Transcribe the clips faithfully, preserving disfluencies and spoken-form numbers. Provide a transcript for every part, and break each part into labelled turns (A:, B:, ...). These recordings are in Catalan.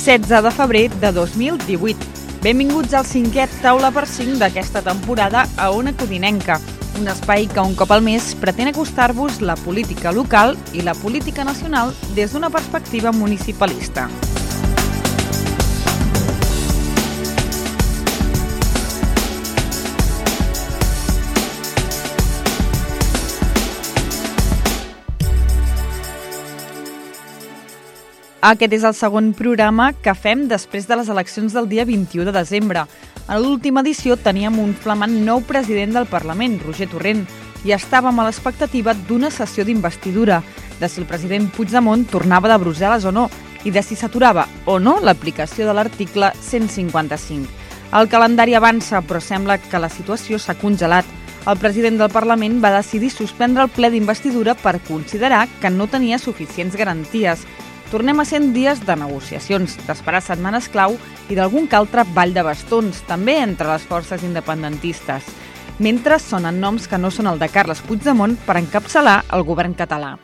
A: setze de febrer de dos mil divuit. Benvinguts al cinquè Taula per cinc d'aquesta temporada a Ona Codinenca, un espai que un cop al mes pretén acostar-vos la política local i la política nacional des d'una perspectiva municipalista. Aquest és el segon programa que fem després de les eleccions del dia vint-i-u de desembre. A l'última edició teníem un flamant nou president del Parlament, Roger Torrent, i estàvem a l'expectativa d'una sessió d'investidura, de si el president Puigdemont tornava de Brussel·les o no, i de si s'aturava o no l'aplicació de l'article cent cinquanta-cinc. El calendari avança, però sembla que la situació s'ha congelat. El president del Parlament va decidir suspendre el ple d'investidura per considerar que no tenia suficients garanties. Tornem a cent dies de negociacions, d'esperar setmanes clau i d'algun que altre ball de bastons, també entre les forces independentistes. Mentre sonen noms que no són el de Carles Puigdemont per encapçalar el govern català.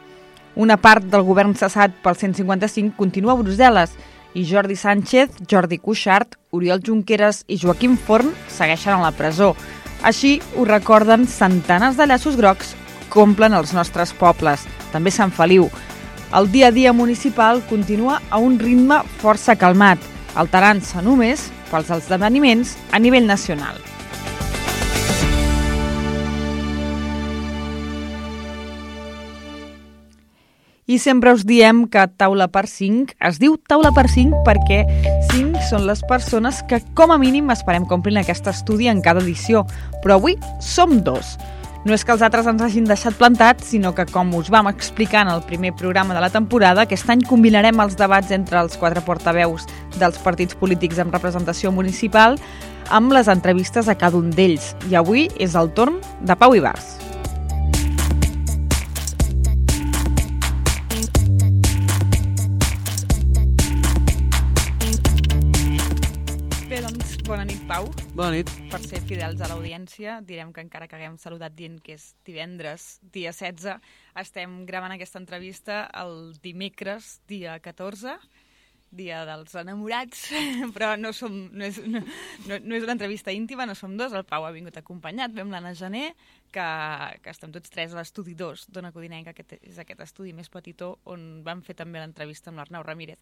A: Una part del govern cessat pel cent cinquanta-cinc continua a Brussel·les i Jordi Sánchez, Jordi Cuixart, Oriol Junqueras i Joaquim Forn segueixen a la presó. Així ho recorden centenars de llaços grocs que omplen els nostres pobles, també Sant Feliu. El dia a dia municipal continua a un ritme força calmat, alterant-se només pels esdeveniments a nivell nacional. I sempre us diem que Taula per cinc es diu Taula per cinc perquè cinc són les persones que com a mínim esperem complint aquest estudi en cada edició, però avui som dos. No és que els altres ens hagin deixat plantats, sinó que, com us vam explicar en el primer programa de la temporada, aquest any combinarem els debats entre els quatre portaveus dels partits polítics amb representació municipal amb les entrevistes a cada un d'ells. I avui és el torn de Pau Ibars. Bé, doncs, bona nit, Pau.
B: Bona nit.
A: Per ser fidels a l'audiència, direm que encara que haguem saludat dient que és divendres, dia setze, estem gravant aquesta entrevista el dimecres, dia catorze, dia dels enamorats, però no, som, no, és, no, no és una entrevista íntima, no som dos, el Pau ha vingut acompanyat, vam l'Anna Gené, que, que estem tots tres a l'estudi dos d'Ona Codinenca, que és aquest estudi més petitó on vam fer també l'entrevista amb l'Arnau Ramírez.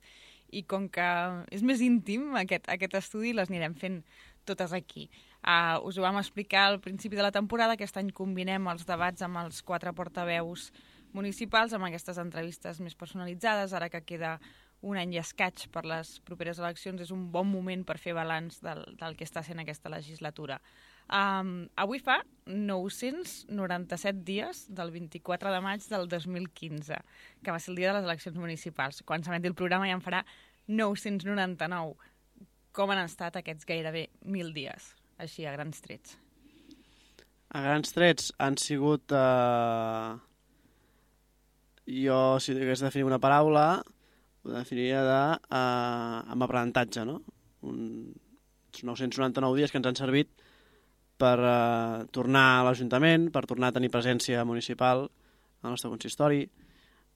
A: I com que és més íntim aquest, aquest estudi, les anirem fent totes aquí. Uh, us ho vam explicar al principi de la temporada, aquest any combinem els debats amb els quatre portaveus municipals, amb aquestes entrevistes més personalitzades, ara que queda un any i escaig per les properes eleccions, és un bon moment per fer balanç del, del que està sent aquesta legislatura. Um, avui fa nou-cents noranta-set dies del vint-i-quatre de maig del dos mil quinze, que va ser el dia de les eleccions municipals. Quan s'emeti el programa ja en farà nou-cents noranta-nou. Com han estat aquests gairebé mil dies, així a grans trets?
B: A grans trets han sigut... Eh... Jo, si hagués de definir una paraula, ho definiria de, eh, amb aprenentatge, no? Un, nou-cents noranta-nou dies que ens han servit per eh, tornar a l'Ajuntament, per tornar a tenir presència municipal al nostre consistori,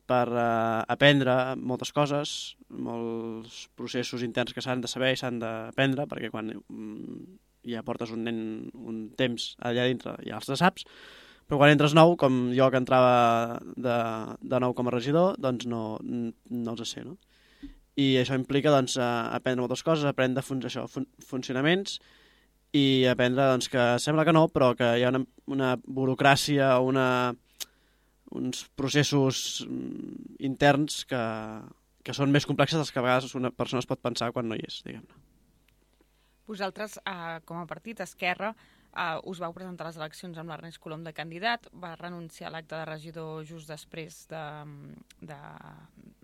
B: per eh, aprendre moltes coses, molts processos interns que s'han de saber i s'han d'aprendre, perquè quan mm, ja portes un nen un temps allà dintre ja els saps, però quan entres nou, com jo que entrava de, de nou com a regidor, doncs no, no els sé, no? I això implica doncs, aprendre moltes coses, aprendre fun això, fun funcionaments i aprendre doncs, que sembla que no, però que hi ha una, una burocràcia, una, uns processos interns que, que són més complexes dels que a vegades una persona es pot pensar quan no hi és, diguem-ne.
A: Vosaltres, eh, com a partit Esquerra, eh, us vau presentar les eleccions amb l'Ernest Colom de candidat, va renunciar a l'acte de regidor just després de, de,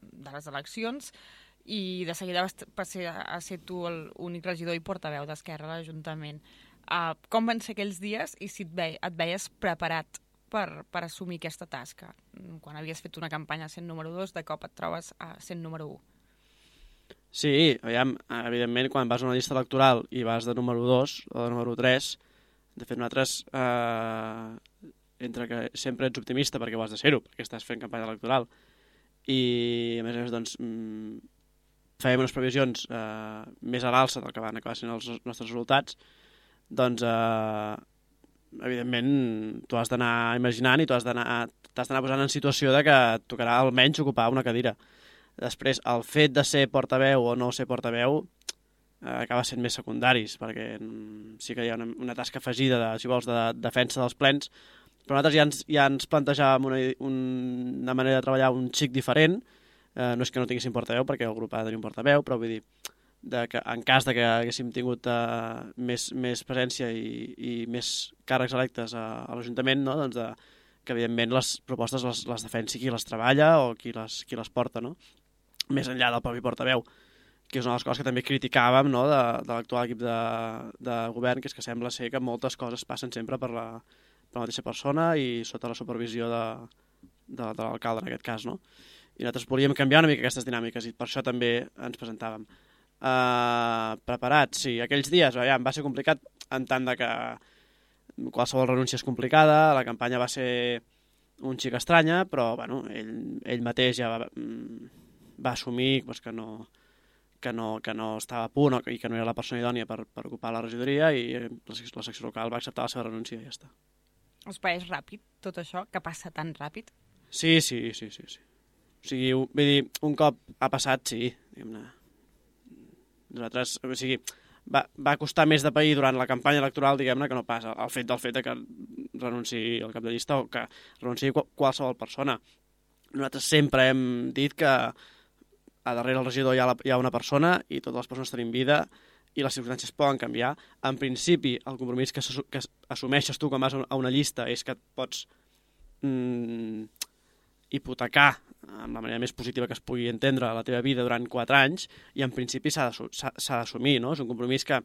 A: de les eleccions i de seguida vas passar a ser tu l'únic regidor i portaveu d'Esquerra a l'Ajuntament. Uh, com van ser aquells dies i si et, ve, et veies preparat per, per assumir aquesta tasca? Quan havies fet una campanya sent número dos, de cop et trobes a sent número u.
B: Sí, aviam, evidentment, quan vas a una llista electoral i vas de número dos o de número tres, de fet nosaltres, eh, entre que sempre ets optimista perquè ho has de ser-ho, perquè estàs fent campanya electoral, i a més a més, doncs, fèiem unes previsions eh, més a l'alça del que van acabar sent els nostres resultats, doncs, eh, evidentment, tu has d'anar imaginant i tu has d'anar t'has d'anar posant en situació de que et tocarà almenys ocupar una cadira. Després, el fet de ser portaveu o no ser portaveu eh, acaba sent més secundaris, perquè sí que hi ha una, una tasca afegida, de, si vols, de defensa dels plens, però nosaltres ja ens, ja ens plantejàvem una, una manera de treballar un xic diferent. Eh, no és que no tinguéssim portaveu, perquè el grup ha de tenir un portaveu, però vull dir de que en cas de que haguéssim tingut uh, més, més presència i, i més càrrecs electes a, a l'Ajuntament, no? Doncs de, que evidentment les propostes les, les defensi qui les treballa o qui les, qui les porta, no? Més enllà del propi portaveu, que és una de les coses que també criticàvem, no? de, de l'actual equip de, de govern, que és que sembla ser que moltes coses passen sempre per la, per la mateixa persona i sota la supervisió de, de, de l'alcalde en aquest cas, no? I nosaltres volíem canviar una mica aquestes dinàmiques i per això també ens presentàvem. Uh, preparats, sí. Aquells dies aviam, va ser complicat en tant de que qualsevol renúncia és complicada, la campanya va ser un xic estranya, però bueno, ell, ell mateix ja va, va assumir pues, que, no, que, no, que no estava a punt i que no era la persona idònia per, per ocupar la regidoria i la, la secció local va acceptar la seva renúncia i ja està.
A: Us pareix ràpid tot això, que passa tan ràpid?
B: Sí, sí, sí, sí, sí. O sigui, vull dir, un cop ha passat, sí, diguem-ne. Nosaltres, o sigui, va, va costar més de pair durant la campanya electoral, diguem-ne, que no passa el fet del fet de que renunciï el cap de llista o que renunciï qualsevol persona. Nosaltres sempre hem dit que a darrere el regidor hi ha, la, hi ha una persona i totes les persones tenim vida i les circumstàncies poden canviar. En principi, el compromís que, que assumeixes tu quan vas a una llista és que et pots mm, hipotecar amb la manera més positiva que es pugui entendre la teva vida durant quatre anys i en principi s'ha d'assumir, no? És un compromís que,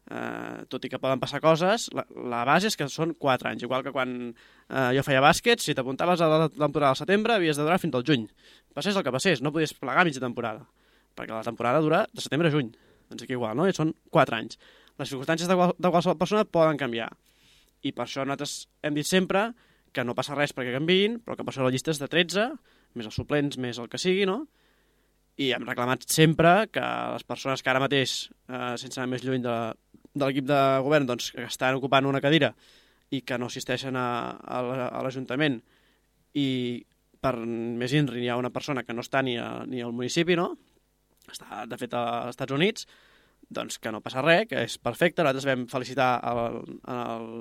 B: eh, tot i que poden passar coses, la, la base és que són quatre anys, igual que quan eh, jo feia bàsquet, si t'apuntaves a la temporada al setembre havies de durar fins al juny. Passés el que passés, no podies plegar mitja temporada, perquè la temporada dura de setembre a juny, doncs aquí igual, no? I són quatre anys. Les circumstàncies de, qual, de qualsevol persona poden canviar i per això nosaltres hem dit sempre que no passa res perquè canviïn, però que per això la llista és de tretze, més els suplents, més el que sigui, no? I hem reclamat sempre que les persones que ara mateix, eh, sense anar més lluny de, de l'equip de govern, doncs, que estan ocupant una cadira i que no assisteixen a, a l'Ajuntament i per més inri hi ha una persona que no està ni, a, ni al municipi, no? Està, de fet, als Estats Units, doncs que no passa res, que és perfecte. Nosaltres vam felicitar el, el,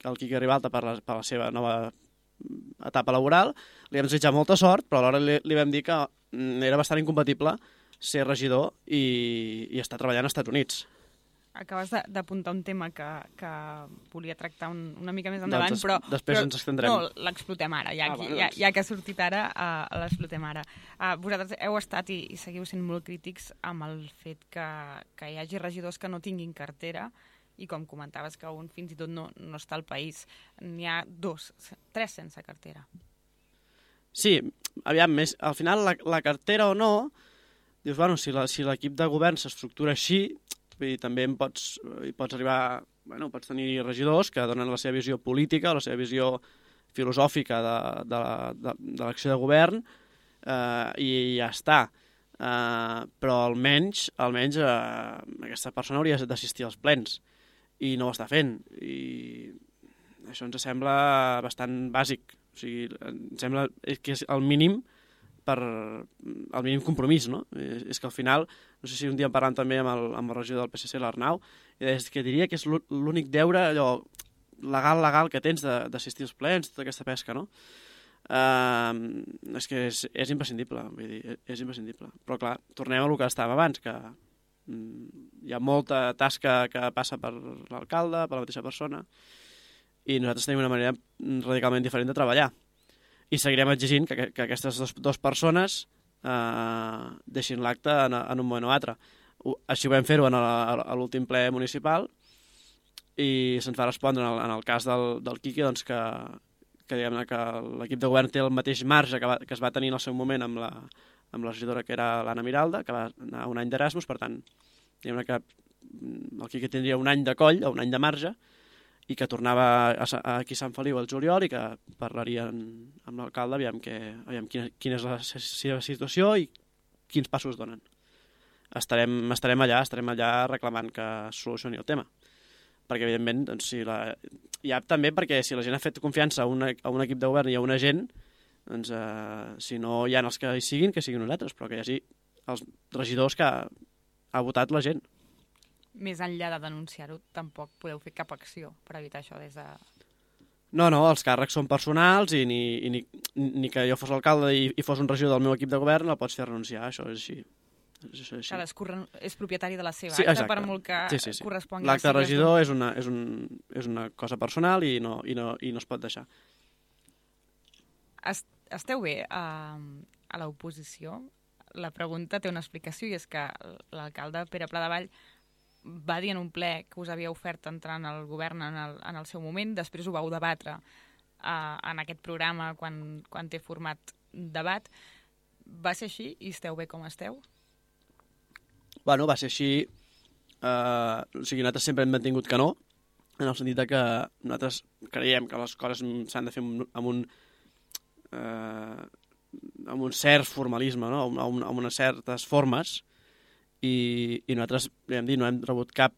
B: el Quique Ribalta per la, per la seva nova etapa laboral, li vam desitjar molta sort, però alhora li, li vam dir que era bastant incompatible ser regidor i, i estar treballant als Estats Units.
A: Acabes d'apuntar un tema que, que volia tractar un, una mica més endavant,
B: doncs,
A: però...
B: Després
A: però,
B: ens extendrem.
A: No, l'explotem ara, ja, ah, bueno, ja, ja que ha sortit ara, uh, l'explotem ara. Uh, vosaltres heu estat i, i seguiu sent molt crítics amb el fet que, que hi hagi regidors que no tinguin cartera i com comentaves que un fins i tot no, no està al país. N'hi ha dos, tres sense cartera.
B: Sí, aviam, més, al final la, la cartera o no, dius, bueno, si l'equip si de govern s'estructura així, vull dir, també en pots, hi pots arribar, bueno, pots tenir regidors que donen la seva visió política, la seva visió filosòfica de, de, de, de l'acció de govern eh, i ja està. Eh, però almenys, almenys eh, aquesta persona hauria d'assistir als plens i no ho està fent. I això ens sembla bastant bàsic. O sigui, ens sembla que és el mínim per el mínim compromís, no? És, és que al final, no sé si un dia en parlant també amb el, amb el regidor del P S C, l'Arnau, és que diria que és l'únic deure allò legal, legal que tens d'assistir als plens, tota aquesta pesca, no? Uh, és que és, és imprescindible, vull dir, és imprescindible. Però clar, tornem a el que estàvem abans, que mm, hi ha molta tasca que passa per l'alcalde, per la mateixa persona, i nosaltres tenim una manera radicalment diferent de treballar. I seguirem exigint que, que aquestes dues, dues persones eh, deixin l'acte en, en un moment o altre. Així ho vam fer-ho a l'últim ple municipal i se'ns va respondre en el, en el cas del, del Quique doncs que, que, que l'equip de govern té el mateix marge que, va, que es va tenir en el seu moment amb la, amb la regidora que era l'Anna Miralda, que va anar un any d'Erasmus, per tant, diguem-ne que el Quique tindria un any de coll o un any de marge i que tornava a, a aquí a Sant Feliu al juliol i que parlarien amb l'alcalde aviam, que, aviam quina, quina és la seva situació i quins passos donen. estarem, estarem allà, estarem allà reclamant que es solucioni el tema. Perquè, evidentment, doncs, si la... ja també perquè si la gent ha fet confiança a, una, a un equip de govern i a una gent, doncs, eh, si no hi ha els que hi siguin, que siguin nosaltres, però que hi hagi els regidors que ha, ha votat la gent.
A: Més enllà de denunciar-ho, tampoc podeu fer cap acció per evitar això des de...
B: No, no, els càrrecs són personals i ni, i ni, ni que jo fos l'alcalde i, i fos un regidor del meu equip de govern el pots fer renunciar, això és així. És així.
A: Cadascú és propietari de la seva
B: sí,
A: acta, per molt que
B: sí, sí, sí.
A: correspongui...
B: L'acte de regidor és una, és, un, és una cosa personal i no, i no, i no es pot deixar.
A: Esteu bé a, a l'oposició? La pregunta té una explicació i és que l'alcalde Pere Pladevall va dir en un ple que us havia ofert entrar en el govern en el, en el seu moment, després ho vau debatre uh, en aquest programa quan, quan té format debat. Va ser així i esteu bé com esteu?
B: Bueno, va ser així. Uh, o sigui, nosaltres sempre hem mantingut que no, en el sentit que nosaltres creiem que les coses s'han de fer amb un, uh, amb un cert formalisme, no? amb, amb unes certes formes, i, i nosaltres, ja hem dit, no hem rebut cap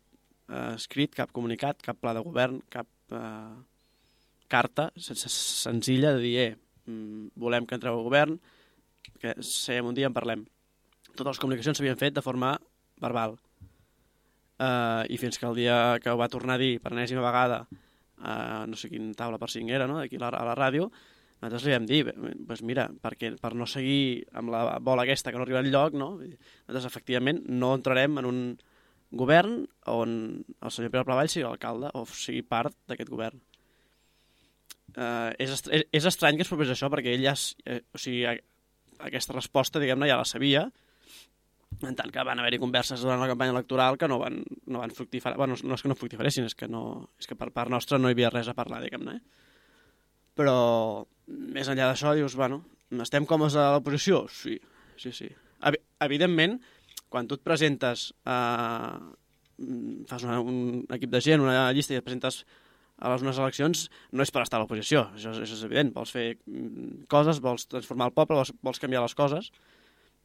B: eh, escrit, cap comunicat, cap pla de govern, cap eh, carta senzilla de dir, eh, volem que entreu al govern, que seiem un dia en parlem. Totes les comunicacions s'havien fet de forma verbal. Eh, I fins que el dia que ho va tornar a dir per enèsima vegada, eh, no sé quin taula per cinc era, no? Aquí a la, a la ràdio, nosaltres li vam dir, doncs mira, perquè, per no seguir amb la bola aquesta que no arriba enlloc, no? Nosaltres efectivament no entrarem en un govern on el senyor Pere Pladevall sigui l'alcalde o sigui part d'aquest govern. Eh, és, est és estrany que es propés això perquè ell ja, eh, o sigui, a, aquesta resposta, diguem-ne, ja la sabia, en tant que van haver-hi converses durant la campanya electoral que no van, no van fructificar, bueno, no és que no fructifaressin, és que, no, és que per part nostra no hi havia res a parlar, diguem-ne, eh? Però més enllà d'això dius, bueno, estem còmodes a l'oposició? Sí, sí, sí. Ev evidentment, quan tu et presentes, eh, fas una, un equip de gent, una llista i et presentes a les unes eleccions, no és per estar a l'oposició, això, això és evident. Vols fer coses, vols transformar el poble, vols, vols canviar les coses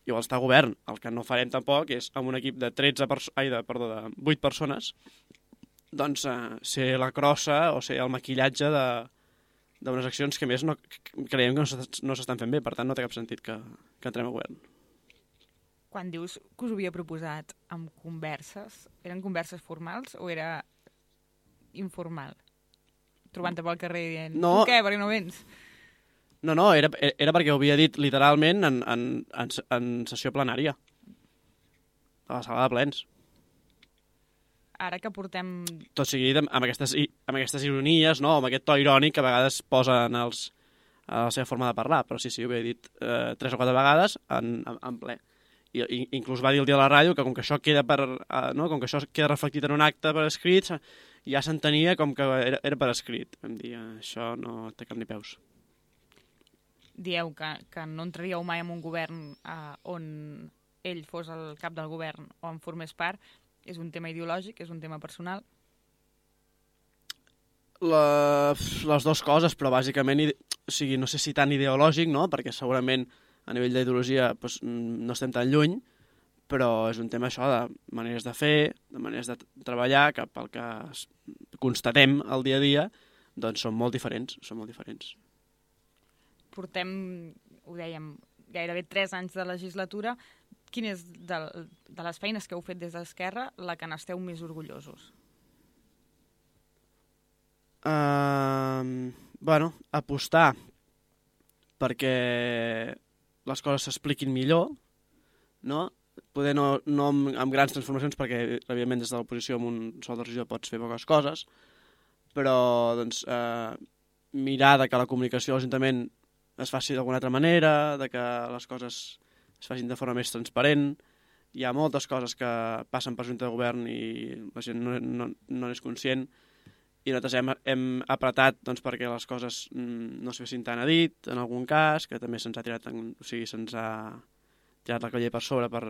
B: i vols estar a govern. El que no farem tampoc és amb un equip de tretze perso ai, de, perdó, de vuit persones doncs eh, ser la crossa o ser el maquillatge de d'unes accions que més no, creiem que no s'estan fent bé, per tant no té cap sentit que, que entrem a govern.
A: Quan dius que us ho havia proposat amb converses, eren converses formals o era informal? Trobant-te pel carrer dient, no, tu què, per què no vens?
B: No, no, era, era perquè ho havia dit literalment en, en, en, en sessió plenària, a la sala de plens.
A: Ara que portem...
B: Tot seguit amb, amb, aquestes, amb aquestes ironies, no? Amb aquest to irònic que a vegades posa en els, a la seva forma de parlar, però sí, sí, ho havia dit eh, tres o quatre vegades en, en, en ple. I, i inclús va dir el dia a la ràdio que com que això queda per, eh, no? com que això queda reflectit en un acte per escrit, ja s'entenia com que era, era per escrit. Vam dir, això no té cap ni peus.
A: Dieu que, que no entraríeu mai en un govern eh, on ell fos el cap del govern o en formés part. És un tema ideològic, és un tema personal?
B: La, les dues coses, però bàsicament, o sigui, no sé si tan ideològic, no? Perquè segurament a nivell d'ideologia doncs, no estem tan lluny, però és un tema això de maneres de fer, de maneres de treballar, que pel que constatem el dia a dia, doncs són molt diferents, són molt diferents.
A: Portem, ho dèiem, gairebé tres anys de legislatura. Quin és de, de les feines que heu fet des d'Esquerra la que n'esteu més orgullosos?
B: Uh, bueno, apostar perquè les coses s'expliquin millor, no? Poder no, no amb, amb grans transformacions, perquè evidentment des de l'oposició amb un sol de regidor pots fer poques coses, però doncs, uh, mirar de que la comunicació a l'Ajuntament es faci d'alguna altra manera, de que les coses es facin de forma més transparent. Hi ha moltes coses que passen per Junta de Govern i la gent no, no, no n'és conscient, i nosaltres hem, hem apretat doncs, perquè les coses mm, no es fessin tan a dit, en algun cas, que també se'ns ha tirat, en, o sigui, se'ns ha tirat la coller per sobre per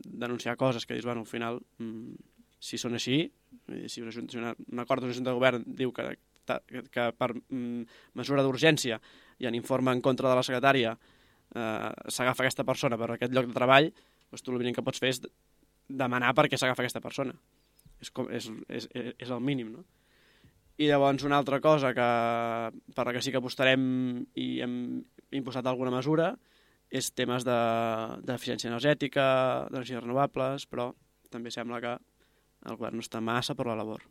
B: denunciar coses que dius, bueno, al final, mm, si són així, si una, si una, un acord d'una Junta de Govern diu que, que, que per mm, mesura d'urgència i en informe en contra de la secretària Eh, s'agafa aquesta persona per aquest lloc de treball, doncs tu el mínim que pots fer és demanar per què s'agafa aquesta persona. És, com, és, és, és el mínim, no? I llavors una altra cosa que, per la que sí que apostarem i hem imposat alguna mesura és temes d'eficiència energètica, d'energies renovables, però també sembla que el govern no està massa per la labor.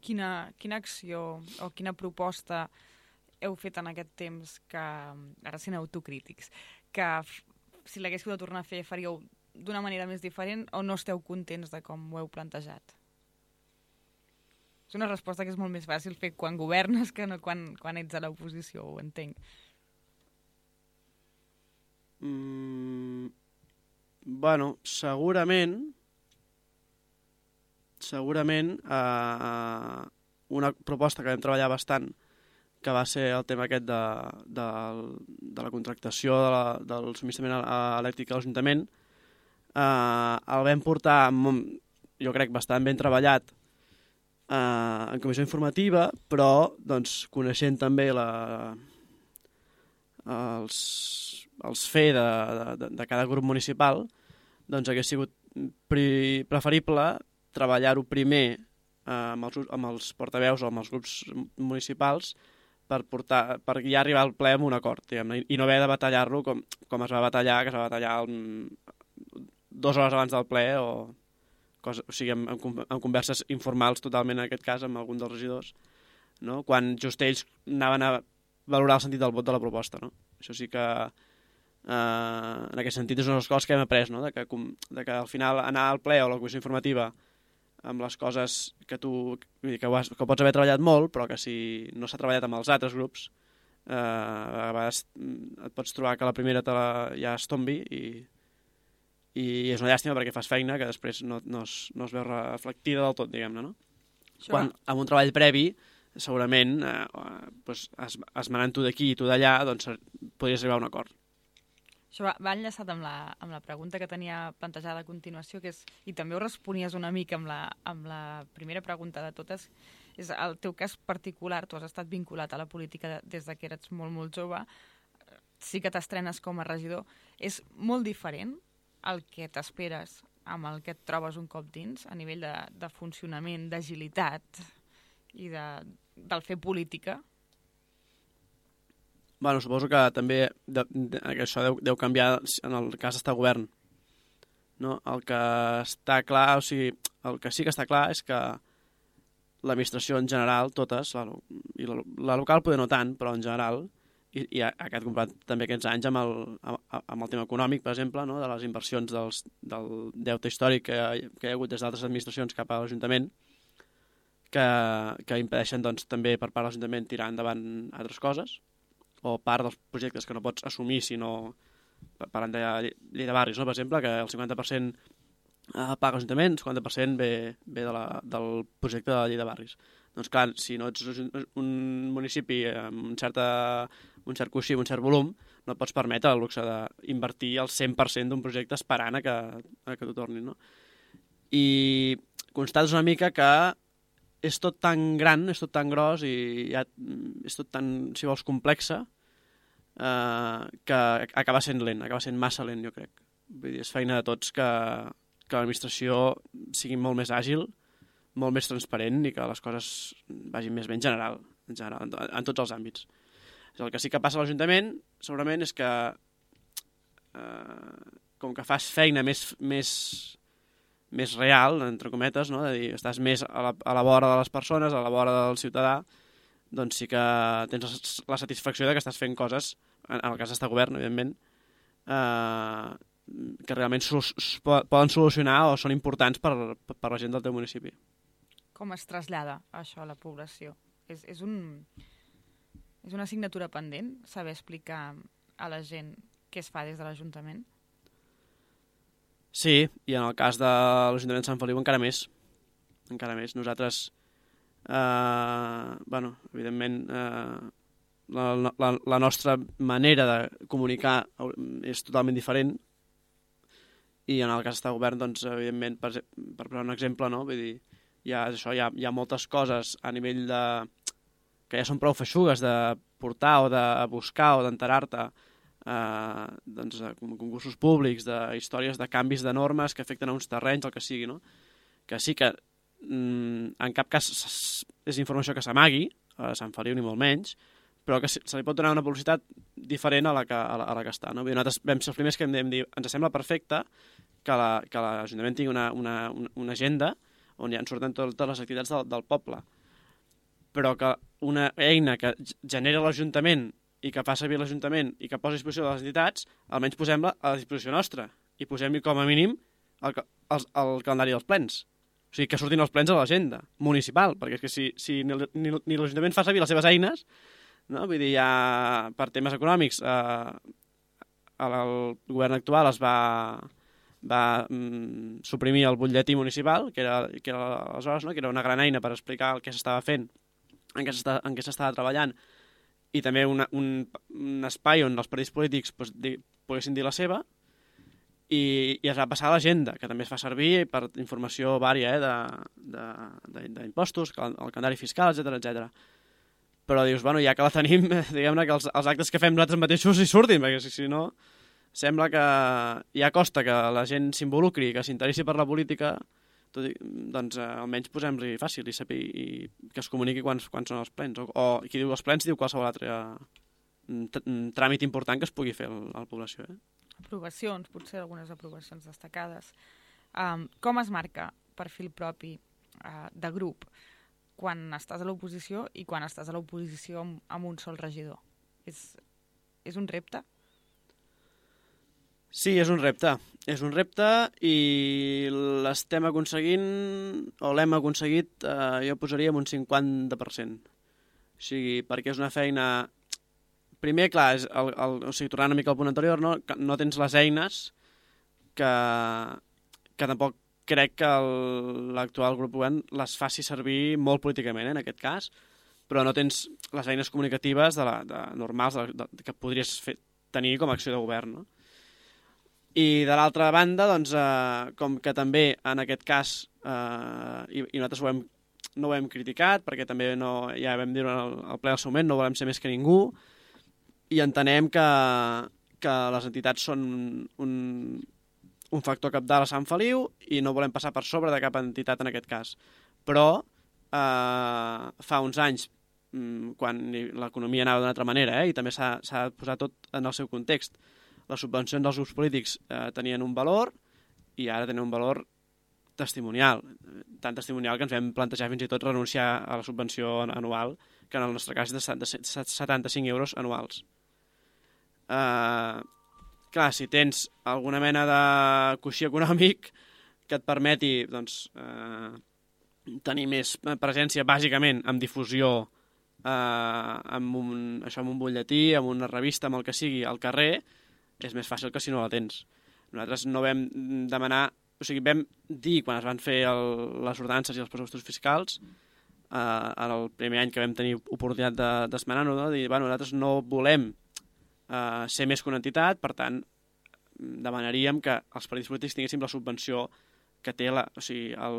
A: Quina, quina acció o quina proposta heu fet en aquest temps que, ara sent autocrítics, que si l'haguéssiu de tornar a fer faríeu d'una manera més diferent o no esteu contents de com ho heu plantejat? És una resposta que és molt més fàcil fer quan governes que no quan, quan ets a l'oposició, ho entenc.
B: Mm, bueno, segurament segurament eh, una proposta que vam treballar bastant, que va ser el tema aquest de, de, de la contractació de la, del subministrament elèctric a l'Ajuntament, eh, el vam portar, jo crec, bastant ben treballat eh, en comissió informativa, però doncs, coneixent també la, els, els F E de, de, de cada grup municipal, doncs hagués sigut pri, preferible treballar-ho primer eh, amb, els, amb els portaveus o amb els grups municipals per, portar, per ja arribar al ple amb un acord, diguem-ne, i no haver de batallar-lo com, com es va batallar, que es va batallar el, dues hores abans del ple o, cosa, o sigui, amb, amb, amb converses informals totalment en aquest cas amb algun dels regidors, no? Quan just ells anaven a valorar el sentit del vot de la proposta, no? Això sí que Uh, en aquest sentit és una de les coses que hem après, no? de, que, de que al final anar al ple o a la comissió informativa amb les coses que tu vull dir, que, has, que pots haver treballat molt, però que si no s'ha treballat amb els altres grups uh, a vegades et pots trobar que la primera te la, ja es tombi i, i és una llàstima perquè fas feina que després no, no, es, no es veu reflectida del tot, diguem-ne, no? Sure. Quan amb un treball previ segurament eh, doncs, es, esmenant tu d'aquí i tu d'allà doncs podries arribar a un acord.
A: Això va, va enllaçat amb la, amb la pregunta que tenia plantejada a continuació, que és, i també ho responies una mica amb la, amb la primera pregunta de totes, és el teu cas particular, tu has estat vinculat a la política des de que eres molt, molt jove, sí que t'estrenes com a regidor, és molt diferent el que t'esperes amb el que et trobes un cop dins, a nivell de, de funcionament, d'agilitat i de, del fer política?
B: Bueno, suposo que també de, de, que això deu, deu canviar en el cas d'estar govern. No? El que està clar, o sigui, el que sí que està clar és que l'administració en general, totes, la, i la, la local poder no tant, però en general, i, i aquest comprat també aquests anys amb el, amb el tema econòmic, per exemple, no? De les inversions dels, del deute històric que, que hi ha hagut des d'altres administracions cap a l'Ajuntament, que, que impedeixen doncs, també per part de l'Ajuntament tirar endavant altres coses, o part dels projectes que no pots assumir si no... Parlant de llei de barris, no? Per exemple, que el cinquanta per cent paga l'Ajuntament, el cinquanta per cent ve, ve de la, del projecte de la llei de barris. Doncs clar, si no ets un municipi amb un, certa, un cert coixí, un cert volum, no et pots permetre el luxe d'invertir el cent per cent d'un projecte esperant a que, a que t'ho tornin, no? I constates una mica que és tot tan gran, és tot tan gros i ja és tot tan, si vols, complexa, eh, que acaba sent lent, acaba sent massa lent, jo crec. Vull dir, és feina de tots que, que l'administració sigui molt més àgil, molt més transparent i que les coses vagin més bé en general, en, general, en, en tots els àmbits. El que sí que passa a l'Ajuntament, segurament, és que eh, com que fas feina més... més més real, entre cometes, no? De dir, estàs més a la, a la vora de les persones, a la vora del ciutadà, doncs sí que tens la satisfacció de que estàs fent coses, en el cas d'estar govern, evidentment, eh, que realment poden solucionar o són importants per, per la gent del teu municipi.
A: Com es trasllada això a la població? És, és, un, és una assignatura pendent, saber explicar a la gent què es fa des de l'Ajuntament?
B: Sí, i en el cas de l'Ajuntament de Sant Feliu encara més. Encara més. Nosaltres, eh, bueno, evidentment, eh, la, la, la nostra manera de comunicar és totalment diferent i en el cas d'estar govern, doncs, evidentment, per, per posar un exemple, no? Vull dir, hi ha, això, hi ha, hi ha moltes coses a nivell de... que ja són prou feixugues de portar o de buscar o d'enterar-te eh, doncs, de concursos públics, de històries de canvis de normes que afecten a uns terrenys, el que sigui, no? Que sí que mm, en cap cas és informació que s'amagui a Sant Feliu ni molt menys, però que se li pot donar una publicitat diferent a la que, a la, a la que està. No? Nosaltres vam ser els primers que vam dir ens sembla perfecte que l'Ajuntament tingui una, una, una agenda on ja en surten totes les activitats del, del poble, però que una eina que genera l'Ajuntament i que fa servir l'Ajuntament i que posa a disposició de les entitats, almenys posem-la a disposició nostra i posem-hi com a mínim el, el, el calendari dels plens. O sigui, que surtin els plens a l'agenda municipal, perquè és que si, si ni, ni, ni l'Ajuntament fa servir les seves eines, no? Vull dir, ja per temes econòmics eh, el govern actual es va, va mm, suprimir el butlletí municipal, que era, que era aleshores, no? Que era una gran eina per explicar el que s'estava fent, en què s'estava treballant, i també una, un, un espai on els partits polítics pues, di, poguessin dir la seva, i, i es va passar a l'agenda, que també es fa servir per informació vària eh, d'impostos, el calendari fiscal, etcètera, etcètera. Però dius, bueno, ja que la tenim, diguem-ne que els, els actes que fem nosaltres mateixos hi surtin, perquè si, si no, sembla que ja costa que la gent s'involucri, que s'interessi per la política, tot i, doncs eh, almenys posem-li fàcil i, sapi, i que es comuniqui quan, quan són els plens. O, o qui diu els plens diu qualsevol altre tràmit important que es pugui fer a la població. Eh?
A: Aprovacions, potser algunes aprovacions destacades. Um, com es marca perfil propi uh, de grup quan estàs a l'oposició i quan estàs a l'oposició amb, amb un sol regidor? És, és un repte?
B: Sí, és un repte. És un repte i l'estem aconseguint, o l'hem aconseguit, eh, jo posaria en un cinquanta per cent. O sigui, perquè és una feina... Primer, clar, és el, el, o sigui, tornant una mica al punt anterior, no, no tens les eines que, que tampoc crec que l'actual grup govern les faci servir molt políticament, eh, en aquest cas, però no tens les eines comunicatives de la, de, normals de, de, que podries fer, tenir com a acció de govern. No? I de l'altra banda, doncs, eh, com que també en aquest cas, eh, i, i nosaltres ho hem, no ho hem criticat, perquè també no, ja vam dir al, al ple al seu moment, no volem ser més que ningú, i entenem que, que les entitats són un, un factor cabdal a Sant Feliu i no volem passar per sobre de cap entitat en aquest cas. Però eh, fa uns anys, quan l'economia anava d'una altra manera, eh, i també s'ha de posar tot en el seu context, les subvencions dels grups polítics eh, tenien un valor i ara tenen un valor testimonial, tan testimonial que ens vam plantejar fins i tot renunciar a la subvenció anual, que en el nostre cas és de setanta-cinc euros anuals. Uh, clar, si tens alguna mena de coixí econòmic que et permeti doncs, uh, tenir més presència bàsicament amb difusió, uh, amb, un, això, amb un butlletí, amb una revista, amb el que sigui al carrer, és més fàcil que si no la tens. Nosaltres no vam demanar, o sigui, vam dir quan es van fer el, les ordenances i els pressupostos fiscals, uh, en el primer any que vam tenir oportunitat d'esmenar-ho, no? Dir, bueno, nosaltres no volem Uh, ser més que una entitat, per tant demanaríem que els partits polítics tinguéssim la subvenció que té la, o sigui, el,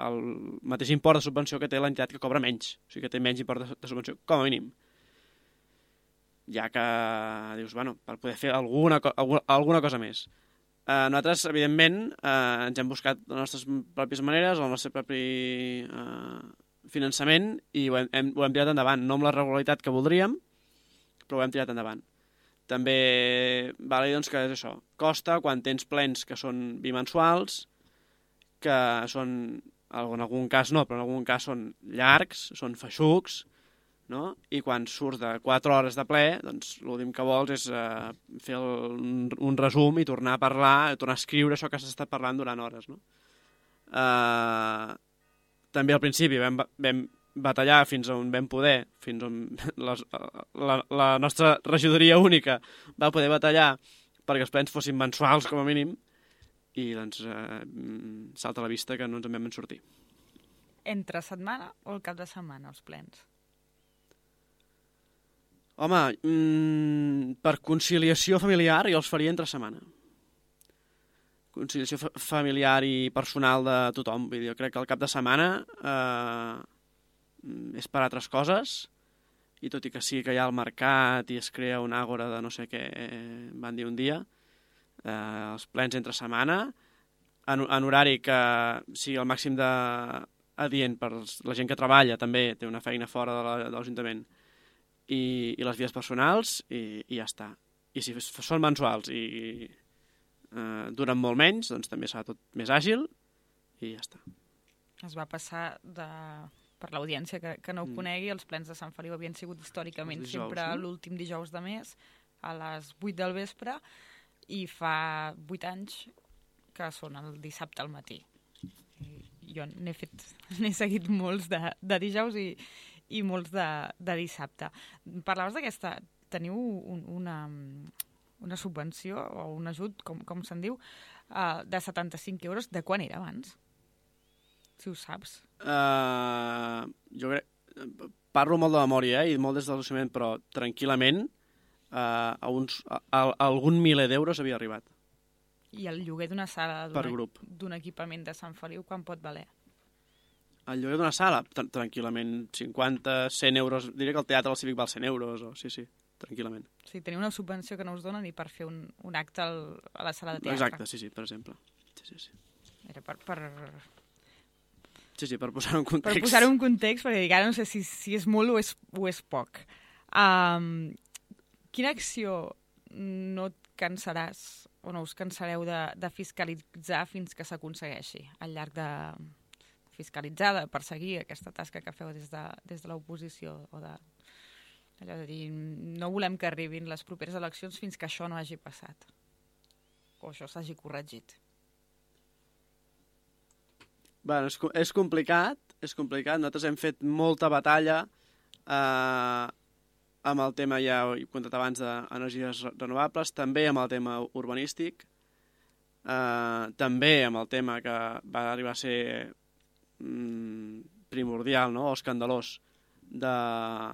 B: el mateix import de subvenció que té l'entitat que cobra menys, o sigui que té menys import de, de subvenció, com a mínim. Ja que dius, bueno, per poder fer alguna, alguna, alguna cosa més. Uh, nosaltres, evidentment, uh, ens hem buscat les nostres pròpies maneres, el nostre propi uh, finançament, i ho hem, hem, ho hem tirat endavant, no amb la regularitat que voldríem, però ho hem tirat endavant. També val a dir doncs, que és això, costa quan tens plens que són bimensuals, que són, en algun cas no, però en algun cas són llargs, són feixucs, no? I quan surts de quatre hores de ple, doncs l'últim que vols és eh, fer el, un, un resum i tornar a parlar, tornar a escriure això que s'ha estat parlant durant hores. No? Eh, també al principi vam, vam batallar fins on vam poder, fins on les, la, la nostra regidoria única va poder batallar perquè els plens fossin mensuals com a mínim, i doncs eh, salta a la vista que no ens en vam sortir.
A: Entre setmana o el cap de setmana, els plens?
B: Home, mmm, per conciliació familiar jo els faria entre setmana. Conciliació fa familiar i personal de tothom. Jo crec que el cap de setmana eh, és per altres coses i tot i que sí que hi ha el mercat i es crea una àgora de no sé què van dir un dia, eh, els plens entre setmana, en, en horari que sigui el màxim de adient per la gent que treballa, també té una feina fora de l'Ajuntament, i, i les vies personals, i, i ja està. I si són mensuals i eh, duren molt menys, doncs també serà tot més àgil, i ja està.
A: Es va passar de... per l'audiència que, que no ho conegui, els plens de Sant Feliu havien sigut històricament dijous, sempre no? L'últim dijous de mes, a les vuit del vespre, i fa vuit anys que són el dissabte al matí. I jo n'he fet, n'he seguit molts de, de dijous i, i molts de, de dissabte. Parlaves d'aquesta... Teniu un, una, una subvenció o un ajut, com, com se'n diu, uh, de setanta-cinc euros. De quan era abans? Si ho saps.
B: Uh, jo crec... Parlo molt de memòria, eh, i molt des de l'Ajuntament, però tranquil·lament uh, a, uns, a, a algun miler d'euros havia arribat.
A: I el lloguer d'una sala
B: per grup
A: d'un equipament de Sant Feliu, quan pot valer?
B: El lloguer d'una sala? Tr tranquil·lament, cinquanta, cent euros. Diria que el teatre al Cívic val cent euros, o sí, sí, tranquil·lament.
A: Sí, teniu una subvenció que no us donen ni per fer un, un acte al, a la sala de teatre.
B: Exacte, sí, sí, per exemple. Sí, sí, sí.
A: Era per... per...
B: Sí, sí, per posar-ho en context.
A: Per posar-ho en context, perquè dic, ara no sé si, si és molt o és, o és poc. Um, quina acció no et cansaràs o no us cansareu de, de fiscalitzar fins que s'aconsegueixi al llarg de fiscalitzar, de perseguir aquesta tasca que feu des de, des de l'oposició o de... Allò de dir, no volem que arribin les properes eleccions fins que això no hagi passat o això s'hagi corregit.
B: Bueno, és, és complicat, és complicat. Nosaltres hem fet molta batalla eh, amb el tema, ja he contat abans, d'energies renovables, també amb el tema urbanístic, eh, també amb el tema que va arribar a ser mm, primordial, no?, o escandalós, de,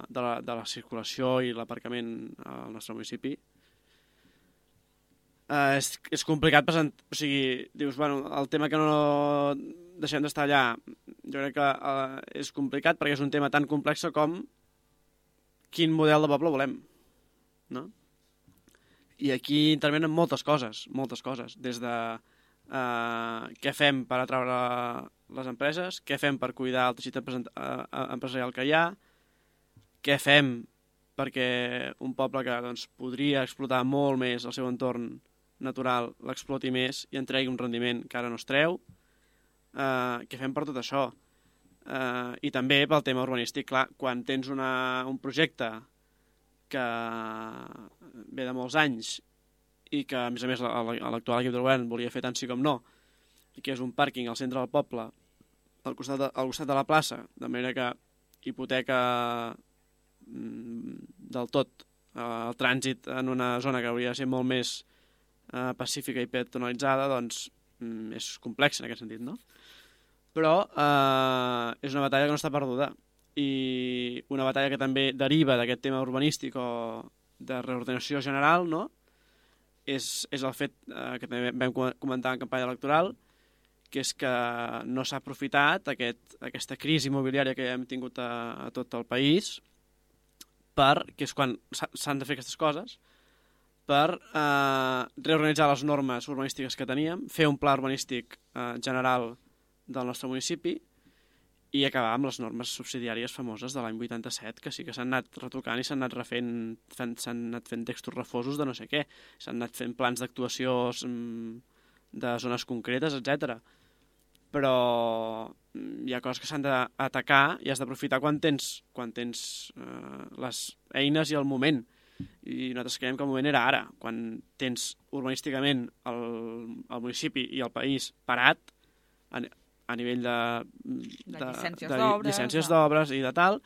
B: de, la, de la circulació i l'aparcament al nostre municipi. Uh, és, és complicat presentar... O sigui, dius, bueno, el tema que no deixem d'estar allà, jo crec que uh, és complicat perquè és un tema tan complex com quin model de poble volem, no? I aquí intervenen moltes coses, moltes coses, des de uh, què fem per atraure les empreses, què fem per cuidar el teixit empresarial que hi ha, què fem perquè un poble que doncs, podria explotar molt més el seu entorn natural l'exploti més i en tregui un rendiment que ara no es treu, uh, què fem per tot això. Uh, I també pel tema urbanístic, clar, quan tens una, un projecte que ve de molts anys i que, a més a més, l'actual equip de govern volia fer tant sí com no, i que és un pàrquing al centre del poble, al costat de, al costat de la plaça, de manera que hipoteca mm, del tot eh, el trànsit en una zona que hauria de ser molt més eh, pacífica i peatonalitzada, doncs mm, és complex en aquest sentit, no? Però eh, és una batalla que no està perduda, i una batalla que també deriva d'aquest tema urbanístic o de reordenació general, no?, és, és el fet eh, que també vam comentar en campanya electoral, que és que no s'ha aprofitat aquest, aquesta crisi immobiliària que hem tingut a, a tot el país, per, que és quan s'han de fer aquestes coses, per eh, reorganitzar les normes urbanístiques que teníem, fer un pla urbanístic eh, general del nostre municipi i acabar amb les normes subsidiàries famoses de l'any vuitanta-set, que sí que s'han anat retocant i s'han anat refent, s'han anat fent textos refosos de no sé què, s'han anat fent plans d'actuació de zones concretes, etcètera. Però hi ha coses que s'han d'atacar i has d'aprofitar quan tens, quan tens eh, les eines i el moment. I nosaltres creiem que el moment era ara, quan tens urbanísticament el, el municipi i el país parat a, a nivell de, de, de llicències d'obres, llicències d'obres i de tal,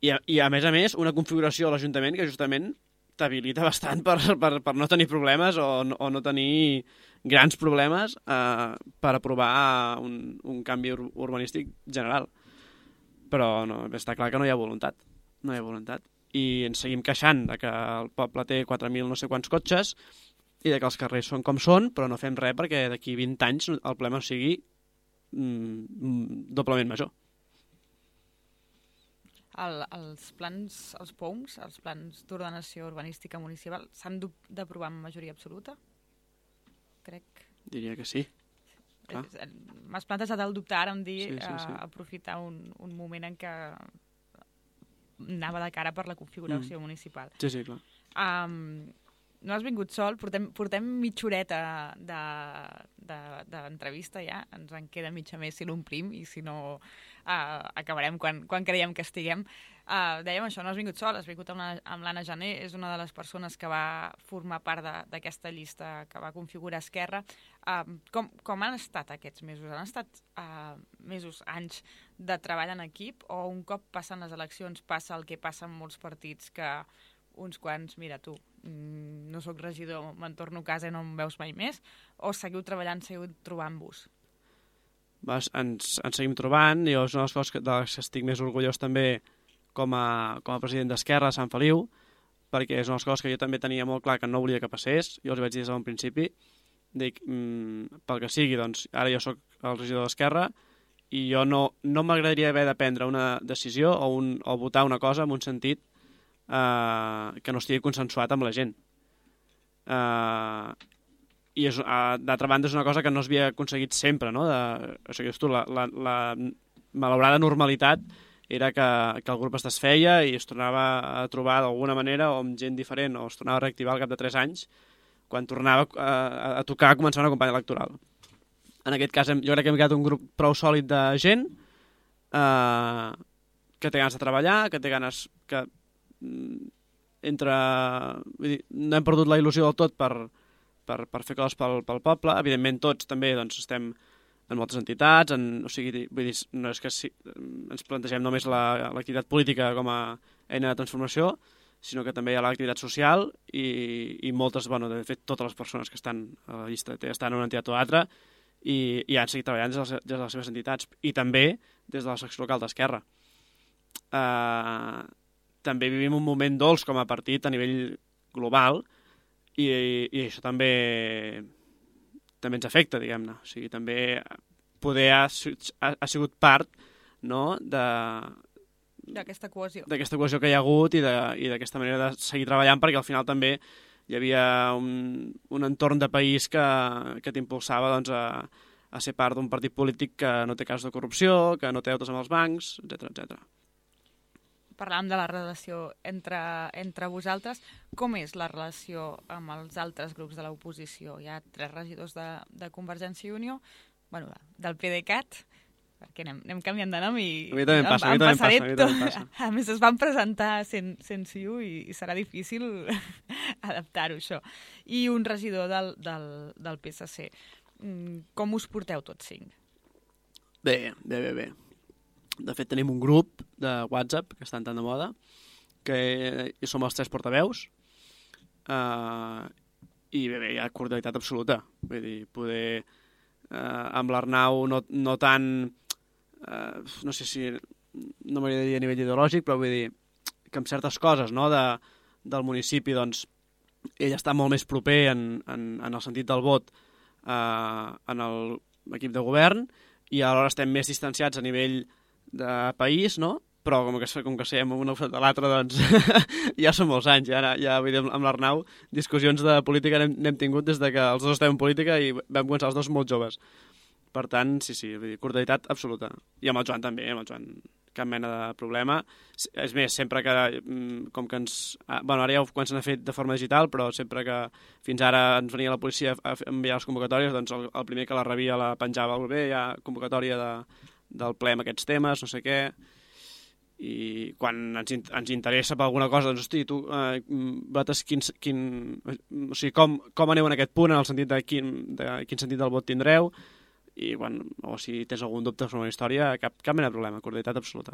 B: i a, i a més a més una configuració a l'Ajuntament que justament t'habilita bastant per, per, per no tenir problemes o, o no tenir grans problemes eh, per aprovar un, un canvi ur urbanístic general. Però no, està clar que no hi ha voluntat. No hi ha voluntat. I ens seguim queixant de que el poble té quatre mil no sé quants cotxes i de que els carrers són com són, però no fem res perquè d'aquí vint anys el problema sigui mm, doblement major.
A: el, els plans, els P O U Ms, els plans d'ordenació urbanística municipal, s'han d'aprovar amb majoria absoluta? Crec.
B: Diria que sí.
A: M'has plantejat el dubte ara em dir sí, sí, sí. Uh, aprofitar un, un moment en què anava de cara per la configuració mm. municipal.
B: Sí, sí, clar.
A: Um, no has vingut sol, portem, portem mitja horeta d'entrevista de, de, ja, ens en queda mitja més si l'omplim i si no uh, acabarem quan, quan creiem que estiguem. Uh, dèiem això, no has vingut sol, has vingut amb, la, amb l'Anna Jané, és una de les persones que va formar part d'aquesta llista que va configurar Esquerra. Uh, com, com han estat aquests mesos? Han estat uh, mesos, anys de treball en equip o un cop passen les eleccions passa el que passa en molts partits que uns quants, mira tu, no sóc regidor, me'n torno a casa i no em veus mai més, o seguiu treballant, seguiu trobant-vos?
B: Vas, ens, ens seguim trobant, i és una de les coses que, de les que estic més orgullós també com a, com a president d'Esquerra de Sant Feliu, perquè és una de les coses que jo també tenia molt clar que no volia que passés, jo els vaig dir des d'un principi, dic, mmm, pel que sigui, doncs ara jo sóc el regidor d'Esquerra i jo no, no m'agradaria haver de prendre una decisió o, un, o votar una cosa en un sentit Uh, que no estigui consensuat amb la gent. Uh, I és, uh, d'altra banda és una cosa que no s'havia aconseguit sempre, no? De, o sigui, tu, la, la, la malaurada normalitat era que, que el grup es desfeia i es tornava a trobar d'alguna manera o amb gent diferent o es tornava a reactivar al cap de tres anys quan tornava a, a tocar a començar una campanya electoral. En aquest cas jo crec que hem quedat un grup prou sòlid de gent uh, que té ganes de treballar, que té ganes que entre... Vull dir, no hem perdut la il·lusió del tot per, per, per fer coses pel, pel poble. Evidentment tots també doncs, estem en moltes entitats, en, o sigui, vull dir, no és que si, ens plantegem només l'activitat política com a eina de transformació, sinó que també hi ha l'activitat social i, i moltes, bueno, de fet totes les persones que estan a la llista estan en una entitat o altra i, i han seguit treballant des de, les, des de les seves entitats i també des de la secció local d'Esquerra. Uh, també vivim un moment dolç com a partit a nivell global i, i, i això també també ens afecta, diguem-ne. O sigui, també poder ha, ha, ha sigut part, no?, de
A: d'aquesta cohesió.
B: D'aquesta cohesió que hi ha hagut i d'aquesta manera de seguir treballant, perquè al final també hi havia un, un entorn de país que, que t'impulsava doncs, a, a ser part d'un partit polític que no té cas de corrupció, que no té deutes amb els bancs, etcètera, etcètera.
A: Parlàvem de la relació entre, entre vosaltres. Com és la relació amb els altres grups de l'oposició? Hi ha tres regidors de, de Convergència i Unió, bueno, del PDeCAT, perquè anem, anem canviant de nom i...
B: A mi també em passa, a mi també em passa, a mi també em passa.
A: A més, es van presentar sen, sense I U i, i serà difícil adaptar-ho, això. I un regidor del, del, del P S C. Com us porteu tots cinc?
B: Bé, bé, bé, bé. De fet, tenim un grup de WhatsApp que està tan de moda, que som els tres portaveus, uh, i bé, bé, hi ha cordialitat absoluta. Vull dir, poder... Uh, amb l'Arnau no, no tant... Uh, no sé si... No m'hauria de dir a nivell ideològic, però vull dir que amb certes coses, no?, de, del municipi, doncs, ell està molt més proper en, en, en el sentit del vot uh, en l'equip de govern, i alhora estem més distanciats a nivell de país, no? Però com que, com que siguem un costat de l'altre, doncs ja són molts anys. Ja, ja vull dir, amb l'Arnau, discussions de política n'hem tingut des de que els dos estem en política i vam començar els dos molt joves. Per tant, sí, sí, vull dir, cordialitat absoluta. I amb el Joan també, amb el Joan cap mena de problema. És més, sempre que, com que ens... Bueno, ara ja ho comencen a fer de forma digital, però sempre que fins ara ens venia la policia a enviar les convocatòries, doncs el, el primer que la rebia la penjava, bé, hi ha convocatòria de, del ple amb aquests temes, no sé què, i quan ens, ens interessa per alguna cosa, doncs, hosti, tu, eh, vosaltres quin, quin, o sigui, com, com aneu en aquest punt, en el sentit de quin, de quin sentit del vot tindreu, i quan, o si tens algun dubte sobre una història, cap, cap mena de problema, cordialitat absoluta.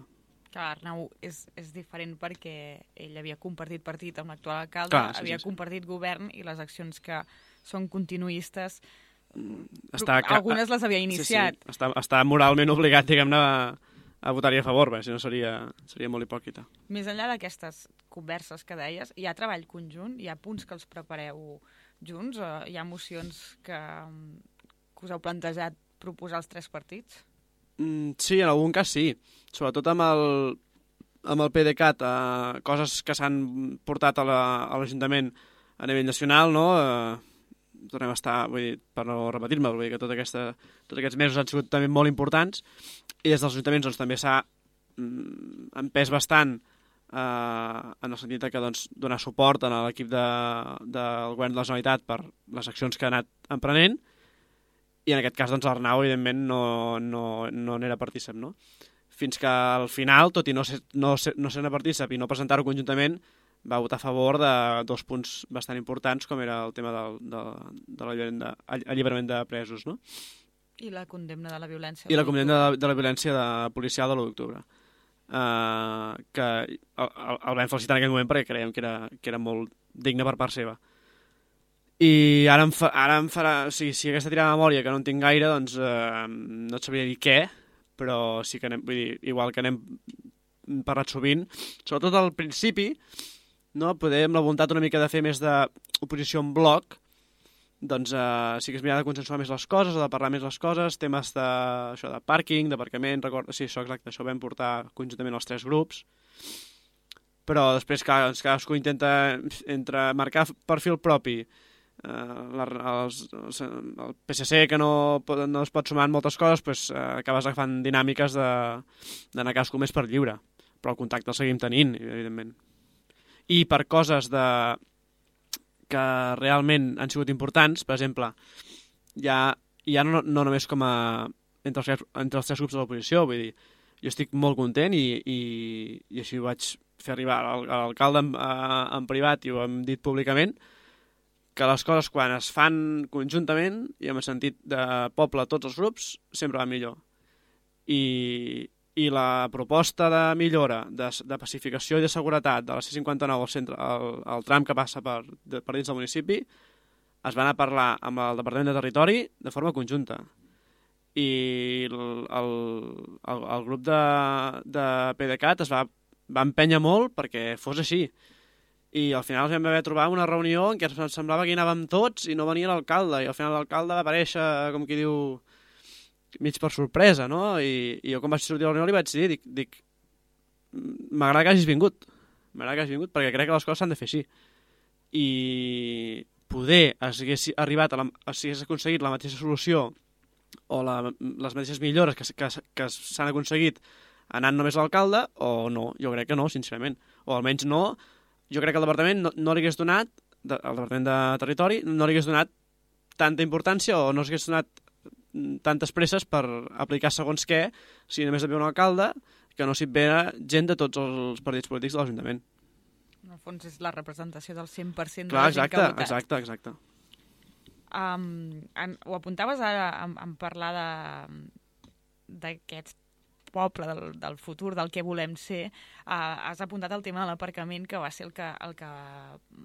A: Clar, Arnau és, és diferent perquè ell havia compartit partit amb l'actual alcalde,
B: Clar, sí,
A: havia
B: sí, sí.
A: compartit govern, i les accions que són continuistes,
B: està,
A: algunes les havia iniciat.
B: Sí, sí. Està, està moralment obligat, diguem-ne, a, a votar-hi a favor, bé, si no seria, seria molt hipòcrita.
A: Més enllà d'aquestes converses que deies, hi ha treball conjunt? Hi ha punts que els prepareu junts? O hi ha mocions que, que us heu plantejat proposar als tres partits?
B: Mm, sí, en algun cas sí. Sobretot amb el... amb el PDeCAT eh, coses que s'han portat a l'Ajuntament a nivell nacional, no? Eh, tornem a estar, vull dir, per no repetir-me, vull dir que tota aquesta, tots aquests mesos han sigut també molt importants i des dels ajuntaments doncs, també s'ha mm, empès bastant eh, en el sentit que doncs, donar suport a l'equip de, del govern de la Generalitat per les accions que ha anat emprenent. I en aquest cas, doncs, l'Arnau, evidentment, no, no, no n'era partícip, no? Fins que al final, tot i no ser, no ser, no ser partícip i no presentar-ho conjuntament, va votar a favor de dos punts bastant importants, com era el tema del, de, de l'alliberament de presos, no?
A: I la condemna de la violència.
B: I la condemna de la, de la violència de, policial de l'u d'octubre. Uh, que el, el vam felicitar en aquell moment perquè creiem que era, que era molt digne per part seva. I ara em, fa, ara em farà... O sigui, si aquesta tirada de memòria, que no en tinc gaire, doncs eh, no et sabria dir què, però sí que anem... Vull dir, igual que anem parlat sovint, sobretot al principi, no, poder amb la voluntat una mica de fer més d'oposició en bloc, doncs eh, sí que és mirar de consensuar més les coses, o de parlar més les coses, temes de, això, de pàrquing, d'aparcament, record... Sí, això exacte, això ho vam portar conjuntament els tres grups, però després cadascú intenta entre marcar perfil propi, Uh, la, els, els, el P S C que no, no es pot sumar en moltes coses, pues, uh, acabes agafant dinàmiques d'anar cadascú més per lliure, però el contacte el seguim tenint, evidentment. I per coses de, que realment han sigut importants, per exemple, ja, ja no, no només com a entre els, entre els tres grups de l'oposició, vull dir, jo estic molt content i, i, i així ho vaig fer arribar a l'alcalde en, en privat i ho hem dit públicament, que les coses quan es fan conjuntament i amb el sentit de poble tots els grups sempre va millor. I, i la proposta de millora, de, de pacificació i de seguretat de la C cinquanta-nou al centre, el, el tram que passa per, de, per dins del municipi, es van a parlar amb el Departament de Territori de forma conjunta. I el, el, el, el grup de, de PDeCAT es va, va empènyer molt perquè fos així. I al final ens vam haver trobar una reunió en què ens semblava que hi anàvem tots i no venia l'alcalde, i al final l'alcalde va aparèixer, com qui diu, mig per sorpresa, no? I, i jo quan vaig sortir a la reunió li vaig dir, dic, dic m'agrada que hagis vingut, m'agrada que hagis vingut perquè crec que les coses s'han de fer així. I poder hagués arribat, a la, si hagués aconseguit la mateixa solució o la, les mateixes millores que, que, que s'han aconseguit anant només a l'alcalde, o no, jo crec que no, sincerament, o almenys no. Jo crec que el departament no, no li hagués donat, de, el departament de Territori, no li hagués donat tanta importància o no s'hagués donat tantes presses per aplicar segons què, si només hi havia un alcalde, que no s'hi ve gent de tots els partits polítics de l'Ajuntament.
A: En el fons és la representació del cent per cent de
B: Clar,
A: la gent
B: exacte,
A: que ha votat.
B: Exacte, exacte.
A: Um, en, ho apuntaves ara en, en parlar d'aquests poble, del, del futur, del que volem ser, uh, has apuntat el tema de l'aparcament, que va ser el que, el que